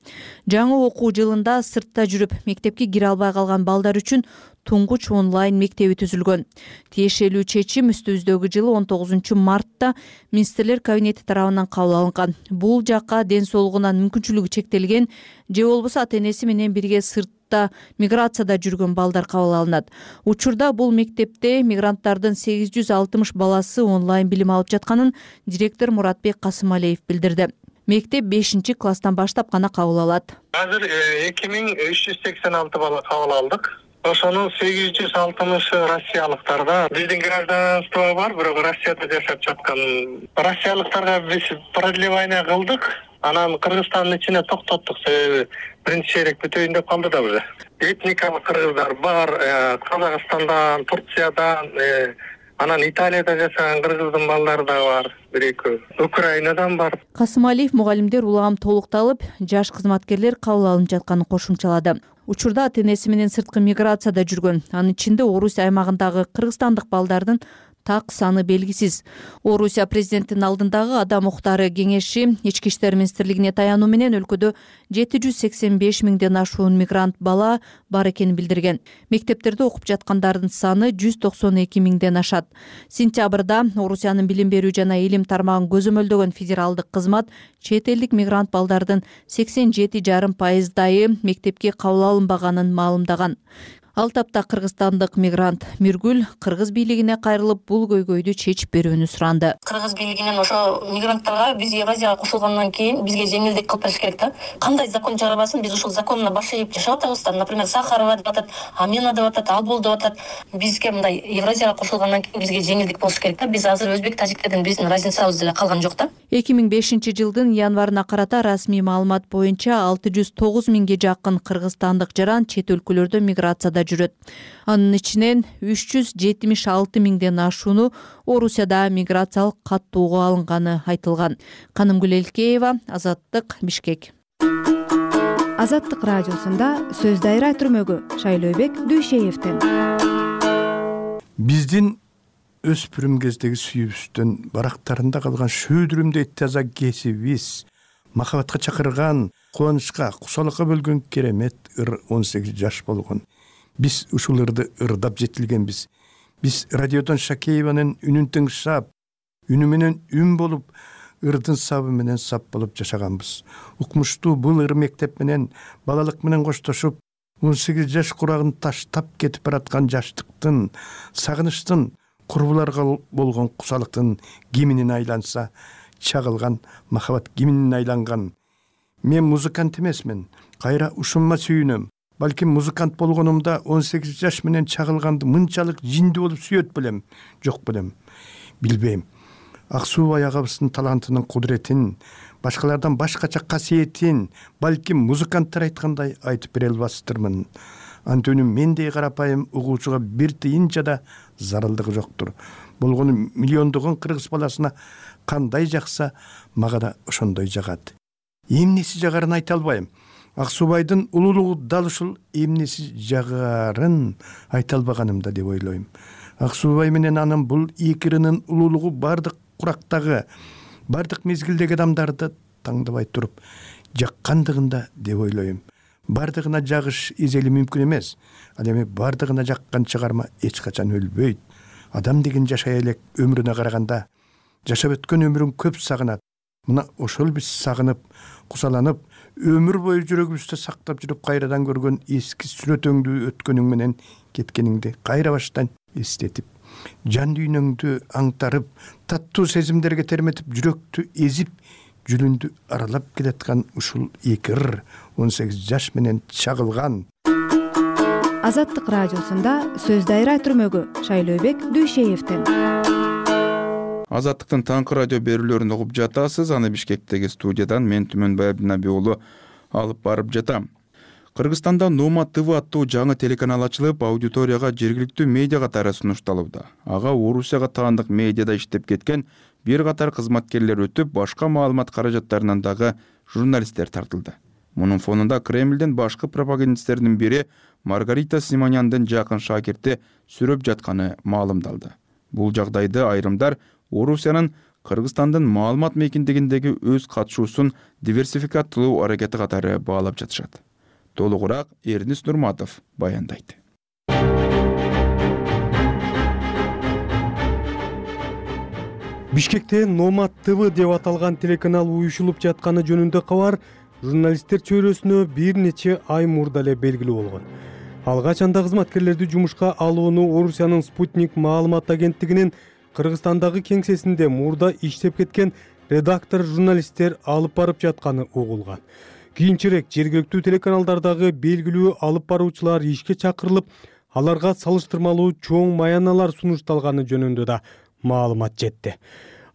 Speaker 17: Жаңы окуу жылында сыртта жүрүп мектепке кире албай калган балдар үчүн туңгуч онлайн мектеби түзүлгөн. Тиешелүү чечим үстүбүздөгү жылы 19 мартта министрлер кабинети тарабынан кабыл алынган. Бул жакка ден соолугунан мүмкүнчүлүгү чектелген же болбосо ата-энеси менен бирге сыртта миграцияда жүргөн балдар кабыл алынат. Учурда бул мектепте мигранттардын 860 баласы онлайн билим алып жатканын директор Муратбек Касымалиев билдирди. Мектеп 5-класстан баштап гана кабыл алат.
Speaker 20: Азыр 2386 бала кабыл алдык. Ошонун 860 россиялыктарда биздин гражданство бар, бирок Россияда жашап жаткан россиялыктарга биз продлевание кылдык. Анан Кыргызстандын ичине токтоттук, себеби биринчи чейрек бүтөйүн деп калды да уже. Этникалык кыргыздар бар, Казакстандан, Турциядан, анан Италияда жашаган кыргыздын балдары да бар, бир-экөө. Украинадан бар.
Speaker 17: Касымалиев мугалимдер улам толукталып, жаш кызматкерлер кабыл алынып жатканын кошумчалады. Учурда ата-энеси менен сырткы миграцияда жүргөн. Анын ичинде Орусия аймагындагы кыргызстандык балдардын так саны белгисиз. Орусия президентинин алдындагы адам укуктары кеңеши Ички иштер министрлигине таянуу менен өлкөдө 785 миңден ашуун мигрант бала бар экенин билдирген. Мектептерде окуп жаткандардын саны 192 миңден ашат. Сентябрда Орусиянын билим берүү жана илим тармагын көзөмөлдөгөн федералдык кызмат чет элдик мигрант балдардын 87,5% мектепке кабыл алынбаганын маалымдаган. Ал тапта кыргызстандык мигрант Миргүл кыргыз бийлигине кайрылып бул көйгөйдү чечип берүүнү суранды.
Speaker 18: Кыргыз бийлигинен ошо мигранттарга биз Евразияга кошулгандан кийин бизге жеңилдик кылып бериш керек да. Кандай закон чыгарбасын, биз ушул законуна баш ийип жашап атабыз да. Например, Сахарова деп атат, Амена деп атат, Албул деп атат. Бизге мындай Евразияга кошулгандан кийин бизге жеңилдик болуш керек да. Биз азыр өзбек, тажиктерден биздин разницабыз деле калган жок да.
Speaker 17: 2005 жылдын январына карата расмий маалымат боюнча 609 миңге жакын кыргызстандык жаран чет өлкөлөрдө миграцияда жүрөт. Анын ичинен 376 миңден ашууну Орусияда миграциялык каттоого алынганы айтылган. Канымгүл Элкеева, Азаттык, Бишкек.
Speaker 21: Азаттык радиосунда сөз дайра түрмөгү Шайлообек Дүйшеевден.
Speaker 22: Биздин өспүрүм кездеги сүйүүбүздөн барактарында калган шөөдүрүмдөй таза кесибиз, махабатка чакырган, кубанычка, кусалыкка бөлгөн керемет 18 жаш болгон. Биз ушул ырды ырдап жетилгенбиз. Биз радиодон Шакееванын үнүн тыңшап, үнү менен үн болуп, ырдын сабы менен сап болуп жашаганбыз. Укмуштуу бул ыр мектеп менен балалык менен коштошуп, 18 жаш курагын таштап кетип бараткан жаштыктын, сагынычтын, курбуларга болгон кусалыктын киминин айланса, чагылган махабат киминин айланган. Мен музыкант эмесмин, кайра ушунма сүйүнөм. Балким музыкант болгонумда 18 жаш менен чагылганды мынчалык жиндүү болуп сүйөт белем, жок белем, билбейм. Ак Суубай агабыздын талантынын кудуретин, башкалардан башкача касиетин балким музыканттар айткандай айтып бере албастырмын. Антөнү мендей карапайым угуучуга бир тыйын жада зарылдыгы жоктур. Болгону миллиондогон кыргыз баласына кандай жакса, мага да ошондой жагат. Эмнеси жагарын айта албайм. Ак Суубайдын улуулугу дал ушул эмнеси жагарын айта албаганымда деп ойлойм. Ак Суубай менен анын бул эки ырынын улуулугу бардык курактагы, бардык мезгилдеги адамдарды таңдабай туруп жаккандыгында деп ойлойм. Бардыгына жагыш эзели мүмкүн эмес. Ал эми бардыгына жаккан чыгарма эч качан өлбөйт. Адам деген жашай элек өмүрүнө караганда жашап өткөн өмүрүн көп сагынат. Мына ошол биз сагынып, кусаланып, өмүр бою жүрөгүбүздө сактап жүрүп кайрадан көргөн эски сүрөтөңдүү өткөнүң менен кеткениңди кайра баштан эстетип, жан дүйнөңдү аңтарып, таттуу сезимдерге терметип, жүрөктү эзип, жүлүндү аралап келаткан ушул эки ыр 18 жаш менен чагылган.
Speaker 21: Азаттык радиосунда сөз дайра түрмөгү Шайлообек Дүйшеевден.
Speaker 2: Азаттыктын таңкы радио берүүлөрүн угуп жатасыз. Аны Бишкектеги студиядан мен Түмөнбай Абдинаби уулу алып барып жатам. Кыргызстанда Нома ТВ аттуу жаңы телеканал ачылып, аудиторияга жергиликтүү медиа катары сунушталууда. Ага Орусияга таандык медиада иштеп кеткен бир катар кызматкерлер өтүп, башка маалымат каражаттарынан дагы журналисттер тартылды. Мунун фонунда Кремлдин башкы пропагандисттеринин бири Маргарита Симоняндын жакын шакирти сүрөп жатканы маалымдалды. Бул жагдайды айрымдар Орусиянын Кыргызстандын маалымат мейкиндигиндеги өз катышуусун диверсификаттылоо аракети катары баалап жатышат. Толугураак Эрнис Нурматов баяндайт.
Speaker 7: Бишкекте Нома ТВ деп аталган телеканал уюшулуп жатканы жөнүндө кабар журналисттер чөйрөсүнө бир нече ай мурда эле белгилүү болгон. Алгач анда кызматкерлерди жумушка алууну Орусиянын Спутник маалымат агенттигинин Кыргызстандагы кеңсесинде мурда иштеп кеткен редактор журналисттер алып барып жатканы угулган. Кийинчерээк жергиликтүү телеканалдардагы белгилүү алып баруучулар ишке чакырылып, аларга салыштырмалуу чоң маяналар сунушталганы жөнүндө да маалымат жетти.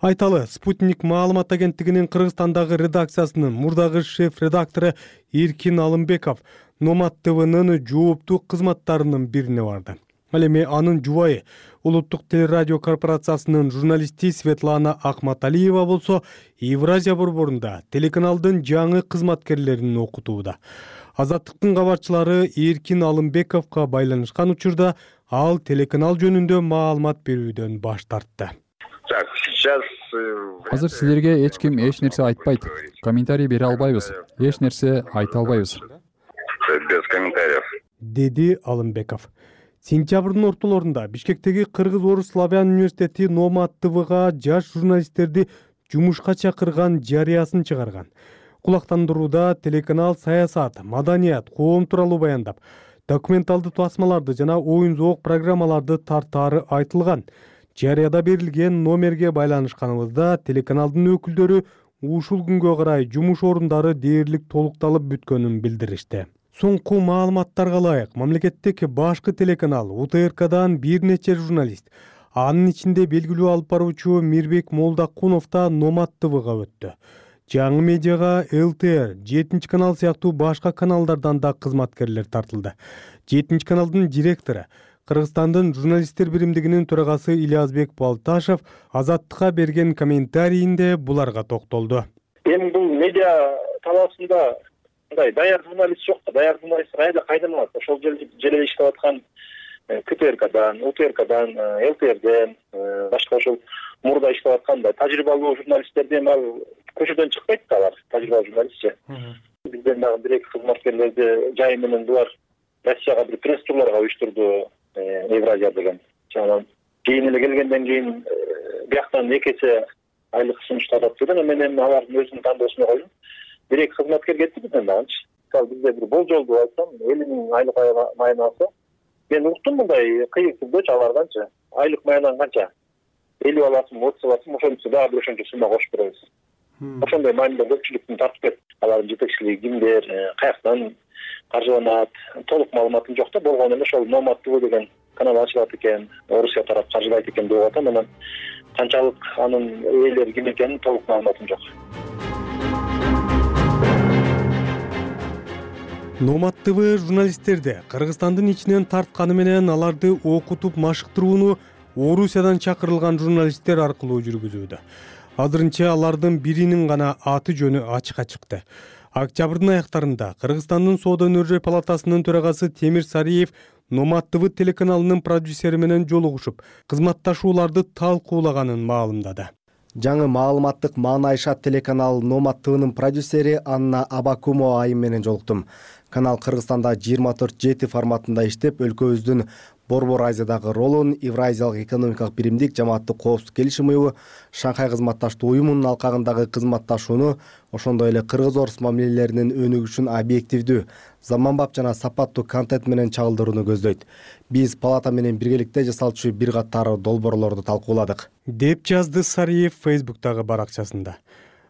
Speaker 7: Айталы, Спутник маалымат агенттигинин Кыргызстандагы редакциясынын мурдагы шеф-редактору Эркин Алымбеков Нома ТВнын жооптуу кызматтарынын бирине барды. Ал эми анын жубайы Улуттук телерадио корпорациясынын журналисти Светлана Акматалиева болсо Евразия борборунда телеканалдын жаңы кызматкерлерин окутууда. Азаттыктын кабарчылары Эркин Алымбековго байланышкан учурда ал телеканал жөнүндө маалымат берүүдөн баш тартты.
Speaker 15: Азыр силерге эч ким эч нерсе айтпайт. Комментарий бере албайбыз. Эч нерсе айта албайбыз.
Speaker 7: Без комментариев, деди Алымбеков. Сентябрдын ортолорунда Бишкектеги Кыргыз-Орус Славян университети Нома ТВга жаш журналисттерди жумушка чакырган жарыясын чыгарган. Кулактандырууда телеканал саясат, маданият, коом тууралуу баяндап, документалдуу тасмаларды жана оюн-зоок программаларды тартаары айтылган. Жарыяда берилген номерге байланышканыбызда телеканалдын өкүлдөрү ушул күнгө карай жумуш орундары дээрлик толукталып бүткөнүн билдиришти. Соңку маалыматтарга ылайык, мамлекеттик башкы телеканал УТРКдан бир нече журналист, анын ичинде белгилүү алып баруучу Мирбек Молдакунов да Нома ТВга өттү. Жаңы медиага ЛТР, 7 канал сыяктуу башка каналдардан да кызматкерлер тартылды. 7 каналдын директору, Кыргызстандын журналисттер биримдигинин төрагасы Ильязбек Балташев Азаттыкка берген комментарийинде буларга токтолду.
Speaker 9: Эми бул медиа талаасында даяр журналист жок. Даяр журналист кайдан алат? Ошол жерде иштеп аткан КТРКдан, УТРКдан, ЛТРден, башка ошол мурда иштеп аткан тажрыйбалуу журналисттерден ал көчөдөн чыкпайт да, алар тажрыйбалуу журналистчи. Бизден дагы бир-эки кызматкерлерди жайы менен булар Россияга бир пресс-турларга уюштурду, Евразия деген. Анан кийин эле келгенден кийин бияктан 2 эсе айлык сунуштап атат. Мен алардын өзүнүн тандоосуна койдум. 1-2 кызматкер кетти бизден дагычы. Мисалы бизде бир болжолду айтсам 50 миң айлык майын алса, мен уктум мындай кыйын түрдөчү аларданчы. Айлык майынан канча? 50 аласың, 30 аласың, ошонусу дагы бир ошончо сумма кошуп беребиз. Ошондой майында көпчүлүктүн тартып кетти. Алардын жетекчилиги кимдер, каяктан каржыланат, толук маалыматым жок да. Болгону эле ошол Номад ТВ деген канал ачылат экен, Орусия тарап каржылайт экен деп атам. Анан канчалык анын ээлери ким экенин толук маалыматым жок.
Speaker 7: Номад ТВ журналисттерди Кыргызстандын ичинен тартканы менен аларды окутуп машыктырууну Орусиядан чакырылган журналисттер аркылуу жүргүзүүдө. Азырынча алардын биринин гана аты жөнү ачыкка чыкты. Октябрдын аяктарында Кыргызстандын Соода өнөр палатасынын төрагасы Темир Сариев Номад ТВ телеканалынын продюсери менен жолугушуп, кызматташууларды талкуулаганын маалымдады.
Speaker 5: Жаңы маалыматтык Маанайшат телеканалы Номад ТВнын продюсери Анна Абакумова айым менен жолуктум. Канал Кыргызстанда 24/7 форматында иштеп, өлкөбүздүн Борбор Азиядагы ролун, Евразиялык экономикалык биримдик, жамааттык коопсуздук келишим уюму, Шанхай кызматташтык уюмунун алкагындагы кызматташууну, ошондой эле кыргыз-орус мамилелеринин өнүгүшүн объективдүү, заманбап жана сапаттуу контент менен чагылдырууну көздөйт. Биз палата менен биргеликте жасалчу бир катар долбоорлорду талкууладык,
Speaker 7: деп жазды Сариев Фейсбуктагы баракчасында.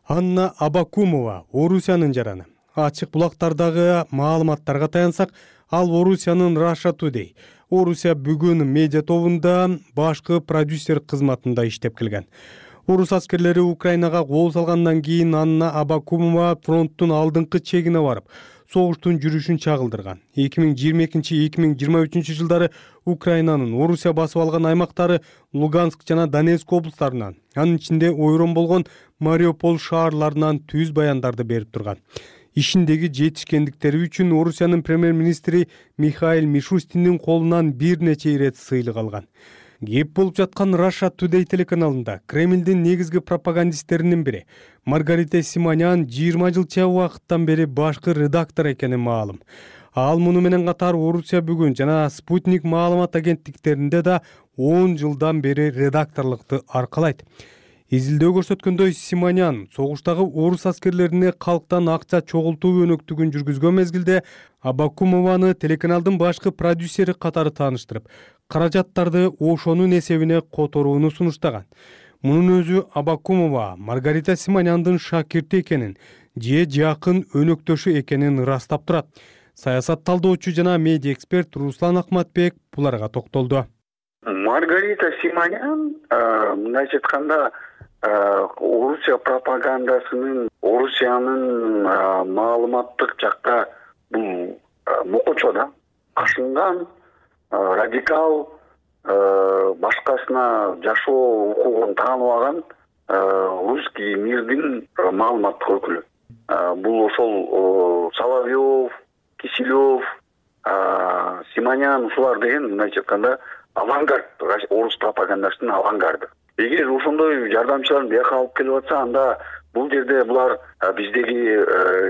Speaker 7: Анна Абакумова Орусиянын жараны. Ачык булактардагы маалыматтарга таянсак, ал Орусиянын Russia Today, Орусия бүгүн медиа тобунда башкы продюсер кызматында иштеп келген. Орус аскерлери Украинага кол салгандан кийин Анна Абакумова фронттун алдыңкы чегине барып, согуштун жүрүшүн чагылдырган. 2022-2023 жылдары Украинанын Орусия басып алган аймактары Луганск жана Донецк облустарынан, анын ичинде ойрон болгон Мариуполь шаарларынан түз баяндарды берип турган. Ишиндеги жетишкендиктери үчүн Орусиянын премьер-министри Михаил Мишустиндин колунан бир нече ирет сыйлык алган. Кеп болуп жаткан Russia Today телеканалында Кремлдин негизги пропагандисттеринин бири Маргарита Симонян 20 жылча убакыттан бери башкы редактор экени маалым. Ал муну менен катар Орусия бүгүн жана Спутник маалымат агенттиктеринде да 10 жылдан бери редакторлукту аркалайт. Изилдөө көрсөткөндөй, Симонян согуштагы орус аскерлерине калктан акча чогултуу өнөктүгүн жүргүзгөн мезгилде Абакумованы телеканалдын башкы продюсери катары тааныштырып, каражаттарды ошонун эсебине которууну сунуштаган. Мунун өзү Абакумова Маргарита Симоняндын шакирти экенин же жакын өнөктөшү экенин ырастап турат. Саясат талдоочу жана медиа эксперт Руслан Акматбек буларга токтолду.
Speaker 3: Маргарита Симонян мындайча айтканда Орусия пропагандасынын, Орусиянын маалыматтык жакка бул мокочо да, кашынган, радикал, башкасына жашоо укугун тааныбаган русский мирдин маалыматтык өкүлү. Бул ошол Соловьев, Киселев, Симонян ушулар деген мындайча айтканда авангард, орус пропагандасынын авангарды. Эгер ошондой жардамчыларын бияка алып келип атса, анда бул жерде булар биздеги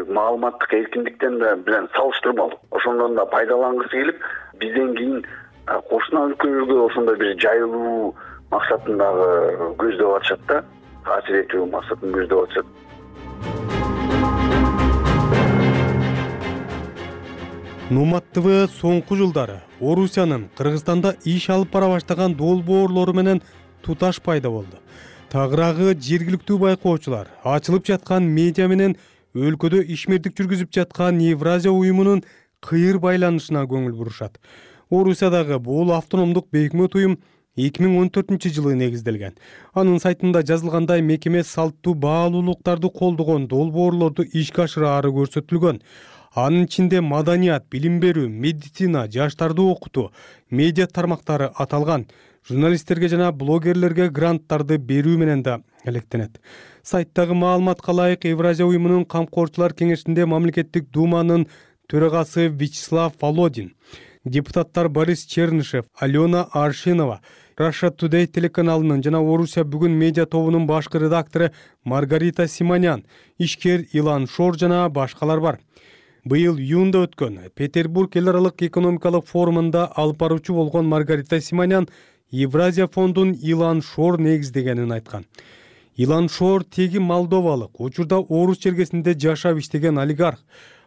Speaker 3: маалыматтык эркиндиктен менен салыштырмалуу. Ошондон да пайдалангысы келип, бизден кийин кошуна өлкөлөргө ошондой бир жайылуу максатындагы көздөп атышат да, таасир этүү максатын көздөп атышат.
Speaker 7: Номад ТВ соңку жылдары Орусиянын Кыргызстанда иш алып бара баштаган долбоорлору менен туташ пайда болду. Тагыраагы жергиликтүү байкоочулар ачылып жаткан медиа менен өлкөдө ишмердик жүргүзүп жаткан Евразия уюмунун кыйыр байланышына көңүл бурушат. Орусиядагы бул автономдук бейөкмөт уюм 2014 жылы негизделген. Анын сайтында жазылгандай, мекеме салттуу баалуулуктарды колдогон долбоорлорду ишке ашыраары көрсөтүлгөн. Анын ичинде маданият, билим берүү, медицина, жаштарды окутуу, медиа тармактары аталган. Журналисттерге жана блогерлерге гранттарды берүү менен да электенет. Сайттагы маалыматка ылайык, Евразия уюмунун камкорчулар кеңешинде мамлекеттик думанын төрагасы Вячеслав Володин, депутаттар Борис Чернышев, Алена Аршинова, Russia Today телеканалынын жана Орусия бүгүн медиа тобунун башкы редактору Маргарита Симонян, ишкер Илан Шор жана башкалар бар. Быйыл июнда өткөн Петербург эл аралык экономикалык форумунда алып баруучу болгон Маргарита Симонян Евразия фондун Илан Шор негиздегенин айткан. Илан Шор теги молдовалык, учурда Орус чергесинде жашап иштеген олигарх.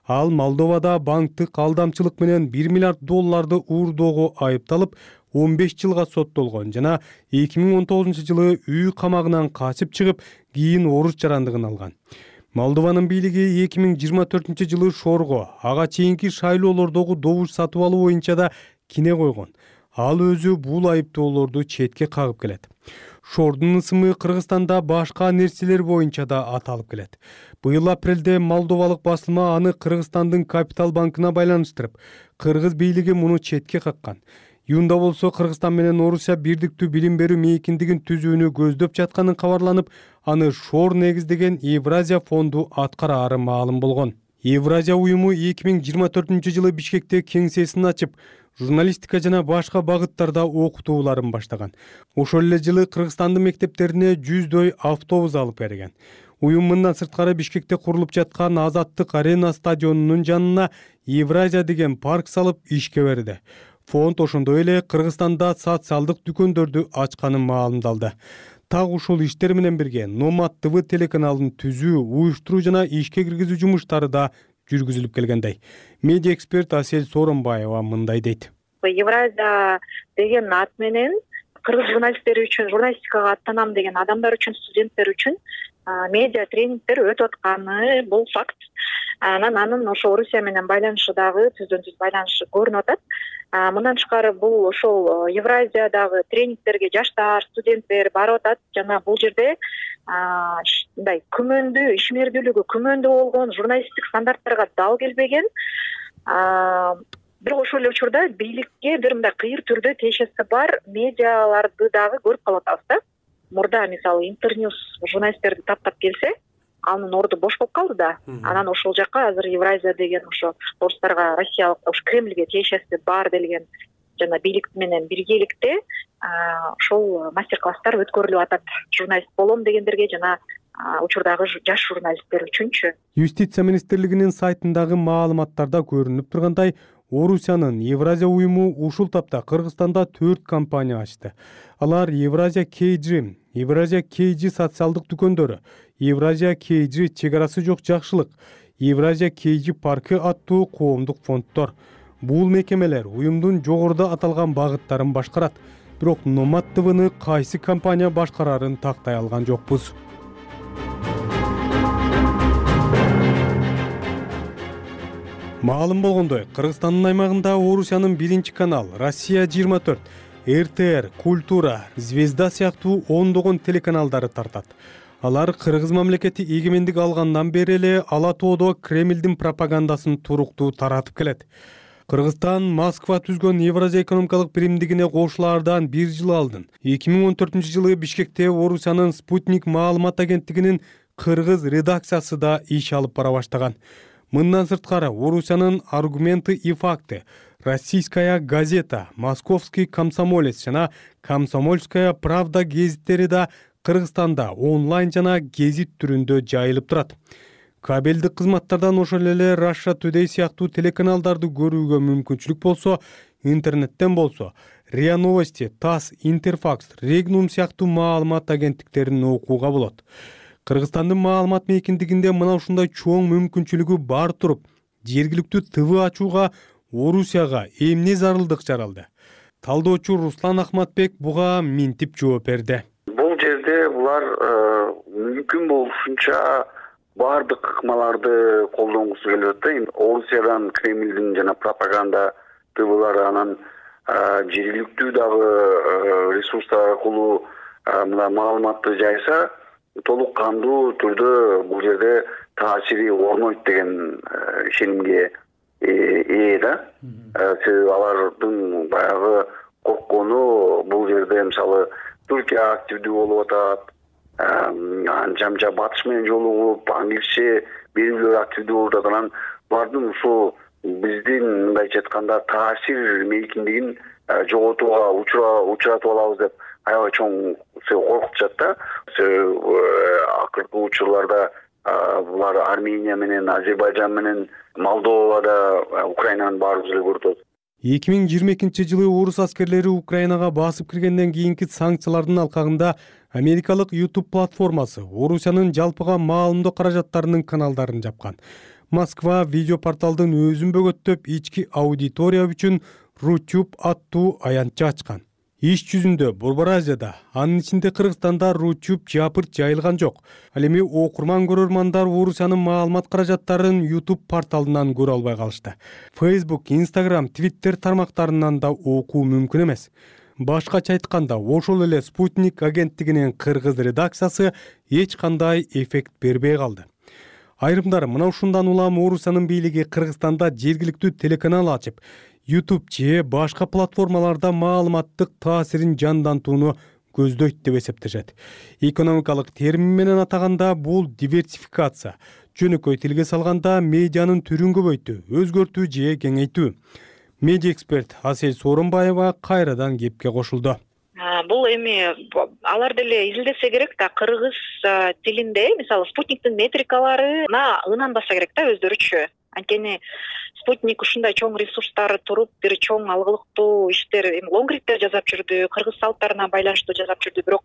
Speaker 7: Ал Молдовада банктык алдамчылык менен $1 миллиард уурдоого айыпталып, 15 жылга соттолгон жана 2019 жылы үй камагынан качып чыгып, кийин орус жарандыгын алган. Молдованын бийлиги 2024 жылы Шорго ага чейинки шайлоолордогу добуш сатып алуу боюнча да кине койгон. Ал өзү бул айыптоолорду четке кагып келет. Шордун ысымы Кыргызстанда башка нерселер боюнча да аталып келет. Быйыл апрелде молдовалык басылма аны Кыргызстандын Капитал банкына байланыштырып, кыргыз бийлиги муну четке каккан. Июнда болсо Кыргызстан менен Орусия бирдиктүү билим берүү мейкиндигин түзүүнү көздөп жатканын кабарланып, аны Шор негиздеген Евразия фонду аткараары маалым болгон. Евразия уюму 2024 жылы Бишкекте кеңсесин ачып, журналистика жана башка багыттарда окутууларын баштаган. Ошол эле жылы Кыргызстандын мектептерине 100дөй автобус алып берген. Уюм мындан сырткары Бишкекте курулуп жаткан Азаттык арена стадионунун жанына Евразия деген парк салып ишке берди. Фонд ошондой эле Кыргызстанда социалдык дүкөндөрдү ачканын маалымдалды. Так ушул иштер менен бирге Номад ТВ телеканалын түзүү, уюштуруу жана ишке киргизүү жумуштары да жүргүзүлүп келгендей. Медиа эксперт Асель Сооронбаева мындай дейт.
Speaker 10: Евразия деген ат менен кыргыз журналисттери үчүн, журналистикага аттанам деген адамдар үчүн, студенттер үчүн медиа тренингдер өтүп атканы бул факт. Анан ошо Орусия менен байланышы дагы түздөн түз байланышы көрүнүп атат. Мындан тышкары бул ошол Евразиядагы тренингдерге жаштар, студенттер барып атат жана бул жерде мындай күмөндүү, ишмердүүлүгү күмөндүү болгон, журналисттик стандарттарга дал келбеген, бирок ошол эле учурда бийликке бир мындай кыйыр түрдө тиешеси бар медиаларды дагы көрүп калып атабыз да. Мурда мисалы Интерньюз журналисттерди таптап келсе, анын орду бош болуп калды да. Анан ошол жакка азыр Евразия деген ошо орустарга, россиялык, Кремльге тиешеси бар делген жана бийлик менен биргеликте ошол мастер-класстар өткөрүлүп атат. Журналист болом дегендерге жана учурдагы жаш журналисттер үчүнчү.
Speaker 7: Юстиция министрлигинин сайтындагы маалыматтарда көрүнүп тургандай, Орусиянын Евразия уюму ушул тапта Кыргызстанда 4 компания ачты. Алар Евразия KG, Евразия KG социалдык дүкөндөрү, Евразия KG чегарасы жок жакшылык, Евразия KG паркы аттуу коомдук фонддор. Бул мекемелер уюмдун жогоруда аталган багыттарын башкарат. Бирок Номад ТВны кайсы компания башкарарын тактай алган жокпуз. Маалым болгондой, Кыргызстандын аймагында Орусиянын 1 канал, Россия 24, РТР, Культура, Звезда сыяктуу ондогон телеканалдары тартат. Алар кыргыз мамлекети эгемендик алгандан бери эле Ала тоодо Кремлдин пропагандасын туруктуу таратып келет. Кыргызстан Москва түзгөн Евразия экономикалык биримдигине кошулаардан 1 жыл алдын 2014 жылы Бишкекте Орусиянын Спутник маалымат агенттигинин кыргыз редакциясы да иш алып бара баштаган. Мындан сырткары Орусиянын Аргументы и факты, Российская газета, Московский комсомолец жана Комсомольская правда гезиттери да Кыргызстанда онлайн жана гезит түрүндө жайылып турат. Кабелдик кызматтардан ошол эле Russia Today сыяктуу телеканалдарды көрүүгө мүмкүнчүлүк болсо, интернеттен болсо, РИА Новости, ТАСС, Интерфакс, Регнум сыяктуу маалымат агенттиктерин окууга болот. Кыргызстандын маалымат мейкиндигинде мына ушундай чоң мүмкүнчүлүгү бар туруп, жергиликтүү ТВ ачууга Орусияга эмне зарылдык жаралды? Талдоочу Руслан Ахматбек буга минтип жооп берди.
Speaker 3: Бул жерде булар мүмкүн болушунча бардык ыкмаларды колдонгусу келип атат. Орусиядан Кремлдин жана пропаганда ТВлары анан жергиликтүү дагы ресурстар аркылуу мына маалыматты жайса, толук кандуу түрдө бул жерде таасири орнойт деген ишенимге ээ да. Себеби алардын баягы корккону бул жерде мисалы Түркия активдүү болуп атат, анча батыш менен жолугуп, англисче берүүлөр активдүү болуп атат. Анан булардын ушул биздин мындайча айтканда таасир мейкиндигин жоготууга учуратып алабыз деп аябай чоң коркутушат да. Акыркы учурларда булар Армения менен, Азербайжан менен, Молдовада, Украинанын баарыбыз эле көрүп атабыз.
Speaker 7: 2022-жылы орус аскерлери Украинага басып киргенден кийинки санкциялардын алкагында Америкалык YouTube платформасы Орусиянын жалпыга маалымдоо каражаттарынын каналдарын жапкан. Москва видеопорталдын өзүн бөгөттөп ички аудитория үчүн Рутюб аттуу аянтча ачкан. Иш жүзүндө Борбор Азияда, анын ичинде Кыргызстанда Рутюб жапырт жайылган жок. Ал эми окурман-көрөрмандар Орусиянын маалымат каражаттарын YouTube порталынан көрө албай калышты. Facebook, Instagram, Twitter тармактарынан да окуу мүмкүн эмес. Башкача айтканда, ошол эле Спутник агенттигинин кыргыз редакциясы эч кандай эффект бербей калды. Айрымдар мына ушундан улам Орусиянын бийлиги Кыргызстанда жергиликтүү телеканал ачып, YouTube же башка платформаларда маалыматтык таасирин жандантууну көздөйт деп эсептешет. Экономикалык термин менен атаганда бул диверсификация. Жөнөкөй тилге салганда медианын түрүн көбөйтүү, өзгөртүү же кеңейтүү. Медиа эксперт Асель Сооронбаева кайрадан кепке кошулду.
Speaker 10: Бул эми алар деле изилдесе керек да, кыргыз тилинде мисалы Спутниктин метрикаларына ынанбаса керек да өздөрүчө. Анткени Спутник ушундай чоң ресурстары туруп, бир чоң алгылыктуу иштер, лонгридтер жасап жүрдү, кыргыз салттарына байланыштуу жасап жүрдү, бирок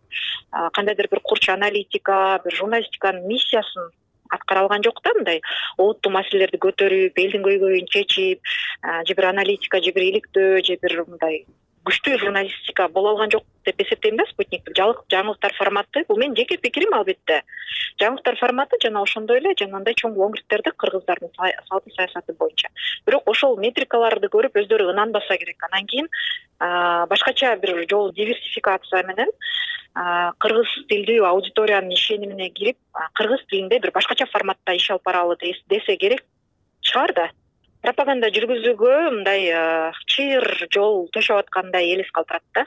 Speaker 10: кандайдыр бир курч аналитика, бир журналистиканын миссиясын аткара алган жок да, мындай олуттуу маселелерди көтөрүп, элдин көйгөйүн чечип, же бир аналитика, же бир иликтөө, же бир мындай күчтүү журналистика боло алган жок деп эсептейм да. Спутник жаңылыктар форматы, бул менин жеке пикирим албетте. Жаңылыктар форматы жана ошондой эле жанагындай чоң лонгридтерди кыргыздардын салты саясаты боюнча. Бирок ошол метрикаларды көрүп өздөрү ынанбаса керек. Анан кийин башкача бир жол диверсификация менен кыргыз тилдүү аудиториянын ишенимине кирип, кыргыз тилинде бир башкача форматта иш алып баралы десе керек чыгар да. Пропаганда жүргүзүүгө мындай чыйыр жол төшөп аткандай элес калтырат да.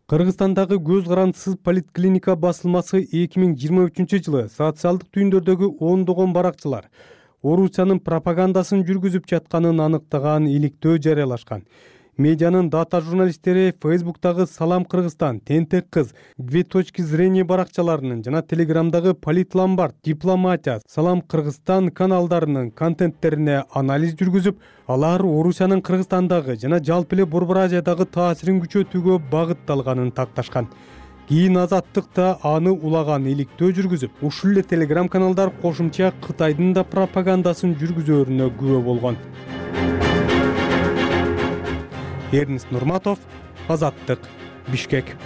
Speaker 7: Кыргызстандагы көз карандысыз поликлиника басылмасы 2023-жылы социалдык түйүндөрдөгү ондогон баракчылар Орусиянын пропагандасын жүргүзүп жатканын аныктаган иликтөө жарыялашкан. Медианын дата журналисттери Facebook'тагы Салам Кыргызстан, Тентек кыз, 2 точки зрения баракчаларынын жана Телеграмдагы Политломбард, Дипломатия, Салам Кыргызстан каналдарынын контенттерине анализ жүргүзүп, алар Орусиянын Кыргызстандагы жана жалпы эле Борбор Азиядагы таасирин күчөтүүгө багытталганын такташкан. Кийин Азаттыкта аны улаган иликтөө жүргүзүп, ушул эле Телеграм каналдар кошумча Кытайдын да пропагандасын жүргүзөөрүнө күбө болгон. Эрнест Нурматов, Азаттык, Бишкек.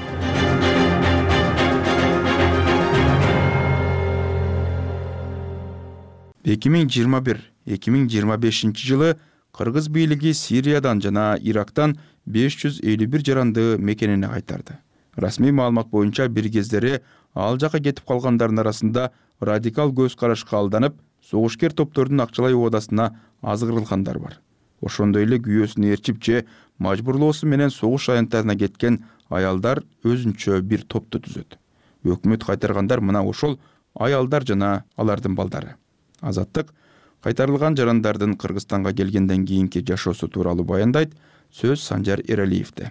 Speaker 2: Эки миң жыйырма бир 2025 жылы кыргыз бийлиги Сириядан жана Ирактан 551 жаранды мекенине кайтарды. Расмий маалымат боюнча бир кездери ал жака кетип калгандардын арасында радикал көз карашка алданып, согушкер топтордун акчалай убадасына азгырылгандар бар. Ошондой эле күйөөсүн ээрчип же мажбурлоосу менен согуш аянттарына кеткен аялдар өзүнчө бир топту түзөт. Өкмөт кайтаргандар мына ошол аялдар жана алардын балдары. Азаттык кайтарылган жарандардын Кыргызстанга келгенден кийинки жашоосу тууралуу баяндайт. Сөз Санжар Эралиевде.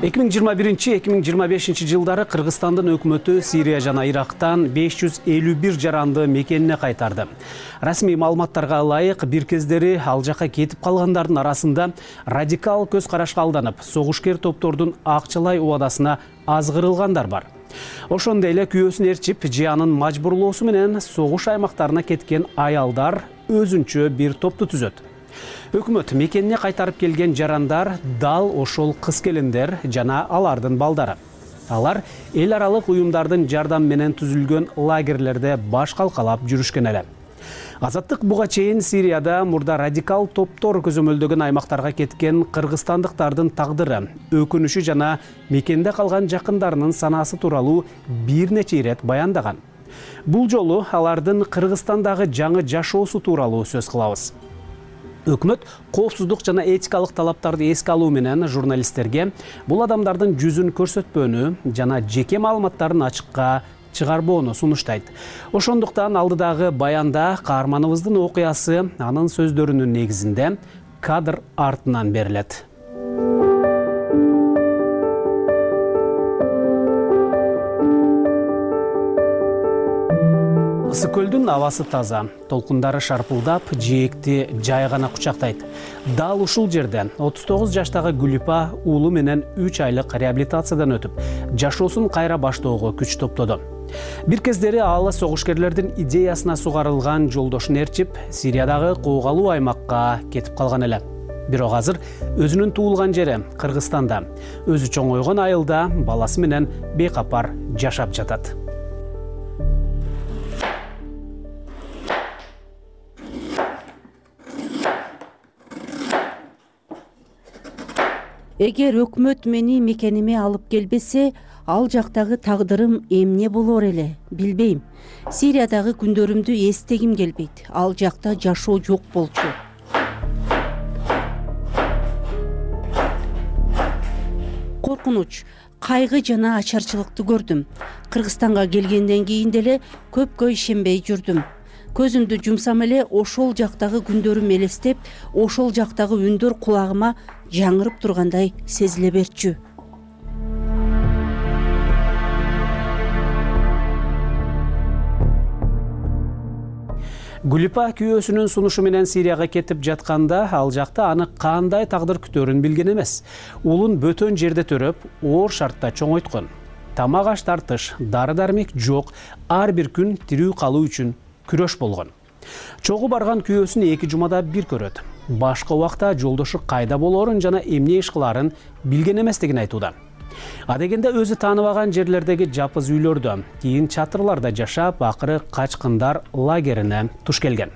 Speaker 8: эки миң жыйырма биринчи 2025 жылдары Кыргызстандын өкмөтү Сирия жана Ирактан 551 жаранды мекенине кайтарды. Расмий маалыматтарга ылайык, бир кездери ал жака кетип калгандардын арасында радикал көз карашка алданып, согушкер топтордун акчалай убадасына азгырылгандар бар. Ошондой эле күйөөсүн ээрчип, же анын мажбурлоосу менен согуш аймактарына кеткен аялдар өзүнчө бир топту түзөт. Өкмөт мекенине кайтарып келген жарандар дал ошол кыз-келиндер жана алардын балдары. Алар эл аралык уюмдардын жардам менен түзүлгөн лагерлерде баш калкалап жүрүшкөн эле. Азаттык буга чейин Сирияда мурда радикал топтор көзөмөлдөгөн аймактарга кеткен кыргызстандыктардын тагдыры, өкүнүшү жана мекенде калган жакындарынын санаасы тууралуу бир нече ирет баяндаган. Бул жолу алардын Кыргызстандагы жаңы жашоосу тууралуу сөз кылабыз. Өкмөт коопсуздук жана этикалык талаптарды эске алуу менен журналисттерге бул адамдардын жүзүн көрсөтпөөнү жана жеке маалыматтарын ачыкка чыгарбоону сунуштайт. Ошондуктан алдыдагы баянда каарманыбыздын окуясы анын сөздөрүнүн негизинде кадр артынан берилет. Ысык көлдүн абасы таза, толкундары шарпылдап, жээкти жай гана кучактайт. Дал ушул жерден 39 жаштагы Гүлипа уулу менен 3 айлык реабилитациядан өтүп, жашоосун кайра баштоого күч топтоду. Бир кездери ал согушкерлердин идеясына сугарылган жолдошун ээрчип, Сириядагы куугалуу аймакка кетип калган эле. Бирок азыр өзүнүн туулган жери Кыргызстанда, өзү чоңойгон айылда баласы менен бейкапар жашап жатат.
Speaker 4: Эгер өкмөт мени мекениме алып келбесе, ал жактагы тагдырым эмне болор эле, билбейм. Сириядагы күндөрүмдү эстегим келбейт. Ал жакта жашоо жок болчу. Коркунуч, кайгы жана ачарчылыкты көрдүм. Кыргызстанга келгенден кийин деле көпкө ишенбей жүрдүм. Көзүмдү жумсам эле ошол жактагы күндөрүм элестеп, ошол жактагы үндөр кулагыма жаңырып тургандай сезиле берчү.
Speaker 8: Гүлипа күйөөсүнүн сунушу менен Сирияга кетип жатканда, ал жакта аны кандай тагдыр күтөөрүн билген эмес. Уулун бөтөн жерде төрөп, оор шартта чоңойткон. Тамак аш тартыш, дары-дармек жок, ар бир күн тирүү калуу үчүн күрөш болгон. Чогуу барган күйөөсүн 2 жумада бир көрөт. Башка убакта жолдошу кайда болоорун жана эмне иш кылаарын билген эместигин айтууда. Адегенде өзү тааныбаган жерлердеги жапыз үйлөрдө, кийин чатырларда жашап, акыры качкындар лагерине туш келген.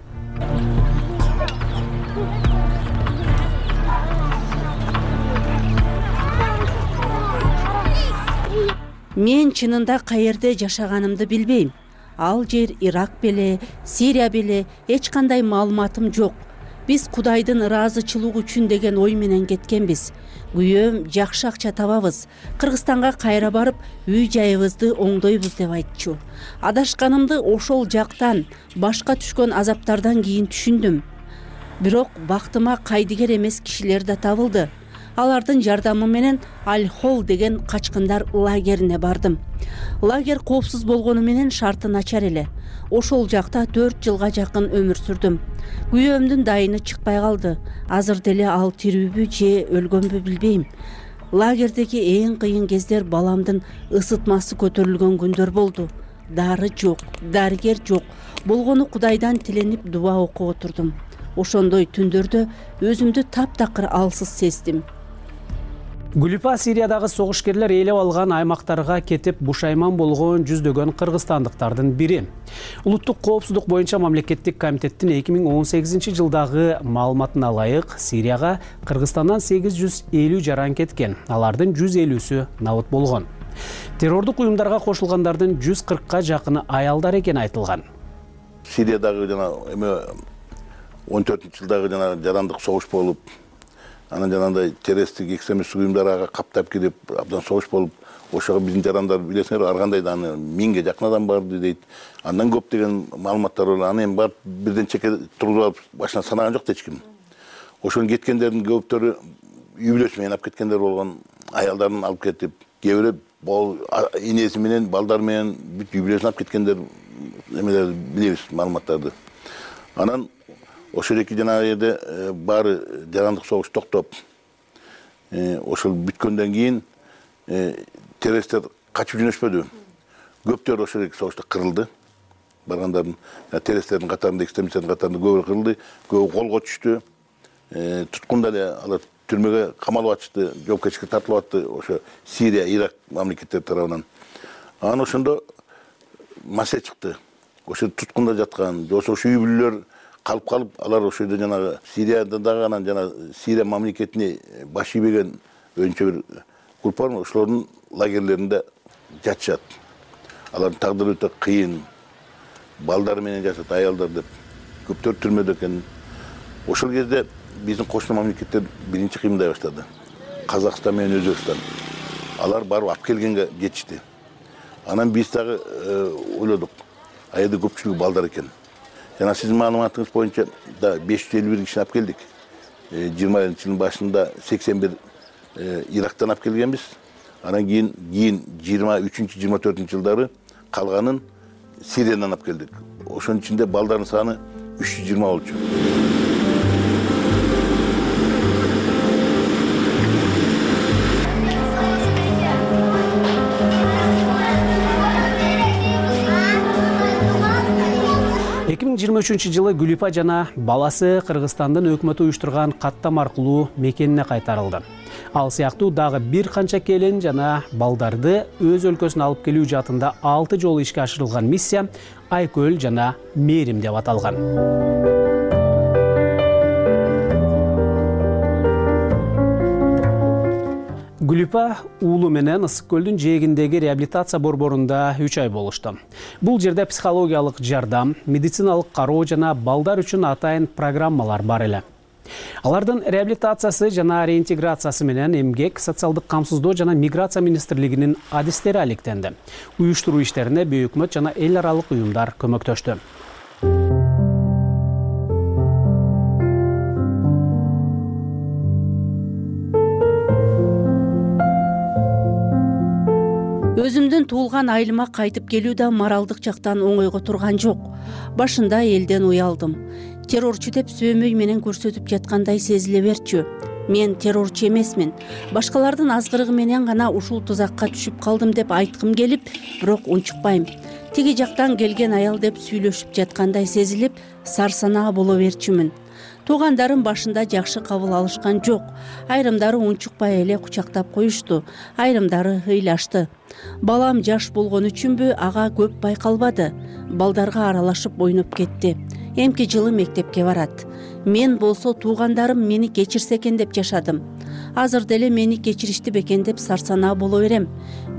Speaker 4: Мен чынында каерде жашаганымды билбейм. Ал жер Ирак беле, Сирия беле, эч кандай маалыматым жок. Биз Кудайдын ыраазычылыгы үчүн деген ой менен кеткенбиз. Күйөөм жакшы акча табабыз, Кыргызстанга кайра барып, үй жайыбызды оңдойбуз деп айтчу. Адашканымды ошол жактан, башка түшкөн азаптардан кийин түшүндүм. Бирок бактыма кайдыгер эмес кишилер да табылды. Алардын жардамы менен Аль-Хол деген качкындар лагерине бардым. Лагер коопсуз болгону менен шарты начар эле. Ошол жакта 4 жылга жакын өмүр сүрдүм. Күйөөмдүн дайыны чыкпай калды. Азыр деле ал тирүүбү же өлгөнбү билбейм. Лагердеги эң кыйын кездер баламдын ысытмасы көтөрүлгөн күндөр болду. Дары жок, дарыгер жок. Болгону Кудайдан тиленип дуа окуп отурдум. Ошондой түндөрдө өзүмдү таптакыр алсыз сездим.
Speaker 8: Гүлипа Сириядагы согушкерлер ээлеп алган аймактарга кетип бушайман болгон жүздөгөн кыргызстандыктардын бири. Улуттук коопсуздук боюнча мамлекеттик комитеттин 2018-жылдагы маалыматына ылайык, Сирияга Кыргызстандан 850 жаран кеткен. Алардын 150-сү набыт болгон. Террордук уюмдарга кошулгандардын 140ка жакыны аялдар экени айтылган.
Speaker 11: Сириядагы жана 14-жылдагы жана жарандык согуш болуп, анан жанагындай террористтик экстремисттик уюмдарга каптап кирип, абдан согуш болуп, ошого биздин жарандар билесиңер, ар кандай да 1000ге жакын адам барды дейт. Андан көп деген маалыматтар бар. Аны эми барып бирден чекке туруп алып башына санаган жок эч ким. Ошон кеткендердин көптөрү үй бүлөсү менен алып кеткендер болгон, аялдарын алып кетип, кээ бири энеси менен, балдары менен бүт үй бүлөсүн алып кеткендер эмелерди билебиз, маалыматтарды. Анан ошол эки жанагы жерде баары жарандык согуш токтоп, ошол бүткөндөн кийин террористтер качып жөнөшпөдү. Көптөр ошол эки согушта кырылды. Баргандардын террористтердин катарында, экстремисттердин катарында көбү кырылды, көбү колго түштү. Туткунда эле алар түрмөгө камалып атышты, жоопкерчиликке тартылып атты ошо Сирия, Ирак мамлекеттери тарабынан. Анан ошондо маселе чыкты. Ошо туткунда жаткан, ошо үй бүлөлөр калып, алар ошо жерде жанагы Сирияда дагы анан жана Сирия мамлекетине баш ийбеген өзүнчө бир групп бар, ошолордун лагерлеринде жатышат. Алардын тагдыры өтө кыйын. Балдары менен жашат, аялдар деп. Көптөр түрмөдө экен. Ошол кезде биздин кошуна мамлекеттер биринчи кыймылдай баштады. Казакстан менен Өзбекстан. Алар барып алып келгенге жетишти. Анан биз дагы ойлодук. Аялда көпчүлүгү балдар экен. Жана сиздин маалыматыңыз боюнча да 551 кишини алып келдик. 20-жылдын башында 81 Ирактан алып келгенбиз. Анан кийин 23-24 жылдары калганын Сириядан алып келдик. Ошонун ичинде балдардын саны 320 болчу.
Speaker 8: жылы Гүлипа жана баласы Кыргызстандын өкмөтү уюштурган каттам аркылуу мекенине кайтарылды. Ал сыяктуу дагы бир канча келин жана балдарды өз өлкөсүнө алып келүү жаатында 6 жолу ишке ашырылган миссия Айкөл жана Мээрим деп аталган. Гүлипа уулу менен Ысык көлдүн жээгиндеги реабилитация борборунда 3 ай болушту. Бул жерде психологиялык жардам, медициналык кароо жана балдар үчүн атайын программалар бар эле. Алардын реабилитациясы жана реинтеграциясы менен эмгек, социалдык камсыздоо жана миграция министрлигинин адистери алектенди. Уюштуруу иштерине бейөкмөт жана эл аралык уюмдар көмөктөштү.
Speaker 4: Өзүмдүн туулган айылыма кайтып келүү да моралдык жактан оңойго турган жок. Башында элден уялдым. Террорчу деп сөөмөй менен көрсөтүп жаткандай сезиле берчү. Мен террорчу эмесмин. Башкалардын азгырыгы менен гана ушул тузакка түшүп калдым деп айткым келип, бирок унчукпайм. Тиги жактан келген аял деп сүйлөшүп жаткандай сезилип, сарсанаа боло берчүмүн. Туугандарым башында жакшы кабыл алышкан жок. Айрымдары унчукпай эле кучактап коюшту, айрымдары ыйлашты. Балам жаш болгон үчүнбү, ага көп байкалбады. Балдарга аралашып ойноп кетти. Эмки жылы мектепке барат. Мен болсо туугандарым мени кечирсе экен деп жашадым. Азыр деле мени кечиришти бекен деп сарсанаа боло берем.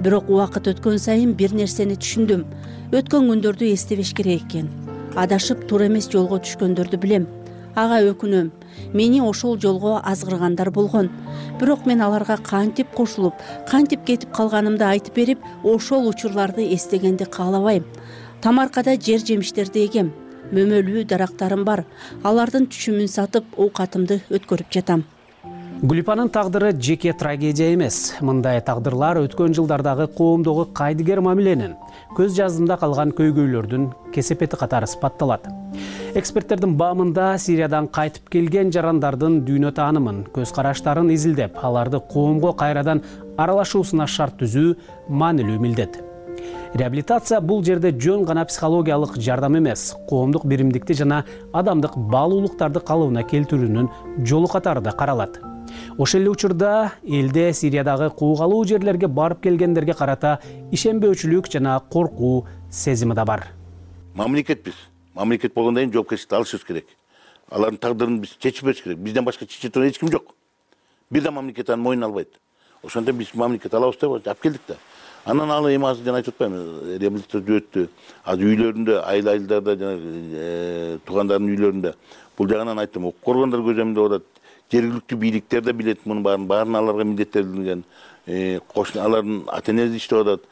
Speaker 4: Бирок убакыт өткөн сайын бир нерсени түшүндүм. Өткөн күндөрдү эстебеш керек экен. Адашып туура эмес жолго түшкөндөрдү билем. Ага өкүнөм. Мени ошол жолго азгыргандар болгон. Бирок мен аларга кантип кошулуп, кантип кетип калганымды айтып берип, ошол учурларды эстегенди каалабайм. Тамаркада жер жемиштерди эгем. Мөмөлүү дарактарым бар. Алардын түшүмүн сатып, оокатымды өткөрүп жатам.
Speaker 8: Гүлипанын тагдыры жеке трагедия эмес. Мындай тагдырлар өткөн жылдардагы коомдогу кайдыгер мамиленин, көз жаздында калган көйгөйлөрдүн кесепети катары сыпатталат. Эксперттердин баамында Сириядан кайтып келген жарандардын дүйнө таанымын, көз караштарын изилдеп, аларды коомго кайрадан аралашуусуна шарт түзүү маанилүү милдет. Реабилитация бул жерде жөн гана психологиялык жардам эмес, коомдук биримдикти жана адамдык баалуулуктарды калыбына келтирүүнүн жолу катары да каралат. Ошол эле учурда элде Сириядагы куугалуу жерлерге барып келгендерге карата ишенбөөчүлүк жана коркуу сезими да бар.
Speaker 11: Мамлекетпиз. Мамлекет болгондон кийин жоопкерчиликти алышыбыз керек. Алардын тагдырын биз чечип бериш керек. Бизден башка чече турган эч ким жок. Бир да мамлекет аны мойнуна албайт. Ошондон биз мамлекет алабыз деп алып келдик да. Анан ал эми азыр жана айтып атпаймынбы, реабилитация өттү. Азыр үйлөрүндө, айылдарда жана туугандардын үйлөрүндө. Бул жагынан айттым, укук органдар көзөмөлдөп атат. Жергиликтүү бийликтер да билет мунун баарын аларга милдеттелген. Кошуна алардын ата-энеси иштеп атат.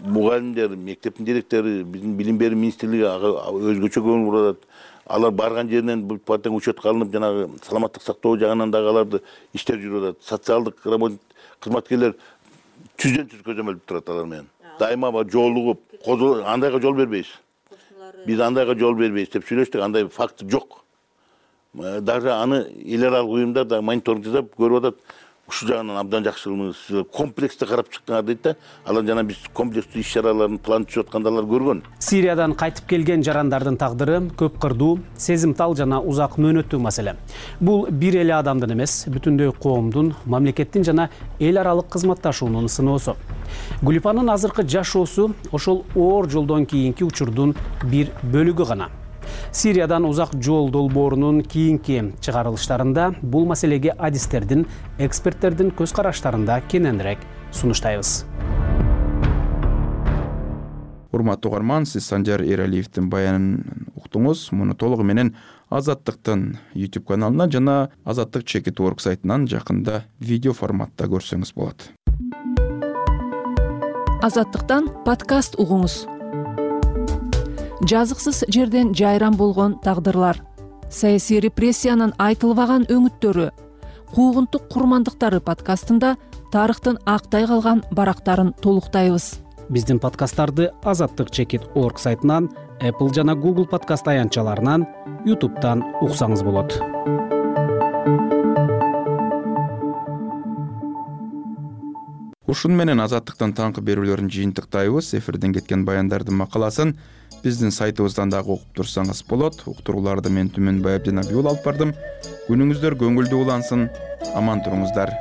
Speaker 11: Мугалимдер, мектептин директору, биздин билим берүү министрлиги өзгөчө көңүл буруп атат. Алар барган жеринен бул партияга учет калынып, жанагы саламаттык сактоо жагынан дагы аларды иштер жүрүп атат. Социалдык кызматкерлер түздөн-түз көзөмөлдөп турат алар менен. Дайыма жолугуп, андайга жол бербейбиз. Биз андайга жол бербейбиз деп сүйлөштүк, андай факт жок. Даже аны эл аралык уюмдар да мониторинг жасап көрүп атат. Ушул жагынан абдан жакшылыгыбыз, комплексте карап чыктыңар дейт да. Алар жана биз комплекстүү иш-чаралардын планын түзүп атканда алар көргөн.
Speaker 8: Сириядан кайтып келген жарандардын тагдыры көп кырдуу, сезимтал жана узак мөөнөттүү маселе. Бул бир эле адамдын эмес, бүтүндөй коомдун, мамлекеттин жана эл аралык кызматташуунун сыноосу. Гүлипанын азыркы жашоосу ошол оор жолдон кийинки учурдун бир бөлүгү гана. Сириядан узак жол долбоорунун кийинки чыгарылыштарында бул маселеге адистердин, эксперттердин көз караштарында кененирээк сунуштайбыз.
Speaker 2: Урматтуу угарман, сиз Санжар Эралиевдин баянын уктуңуз. Муну толугу менен Азаттыктын YouTube каналынан жана Азаттык Чекит.org сайтынан жакында видео форматта көрсөңүз болот.
Speaker 1: Азаттыктан подкаст угуңуз. Жазыксыз жерден жайран болгон тагдырлар, саясий репрессиянын айтылбаган өңүттөрү, куугунтук курмандыктары подкастында тарыхтын актай калган барактарын толуктайбыз.
Speaker 8: Биздин подкасттарды azattik.org сайтынан, Apple жана Google подкаст аянтчаларынан, YouTube'дан уксаңыз болот.
Speaker 2: Ушун менен Азаттыктан таңкы берүүлөрүн жыйынтыктайбыз. Эфирден кеткен баяндардын макаласын биздин сайтыбыздан дагы окуп турсаңыз болот. Уктурууларды мен Түмөн Баябжанов алып бардым. Күнүңүздөр көңүлдүү улансын. Аман туруңуздар.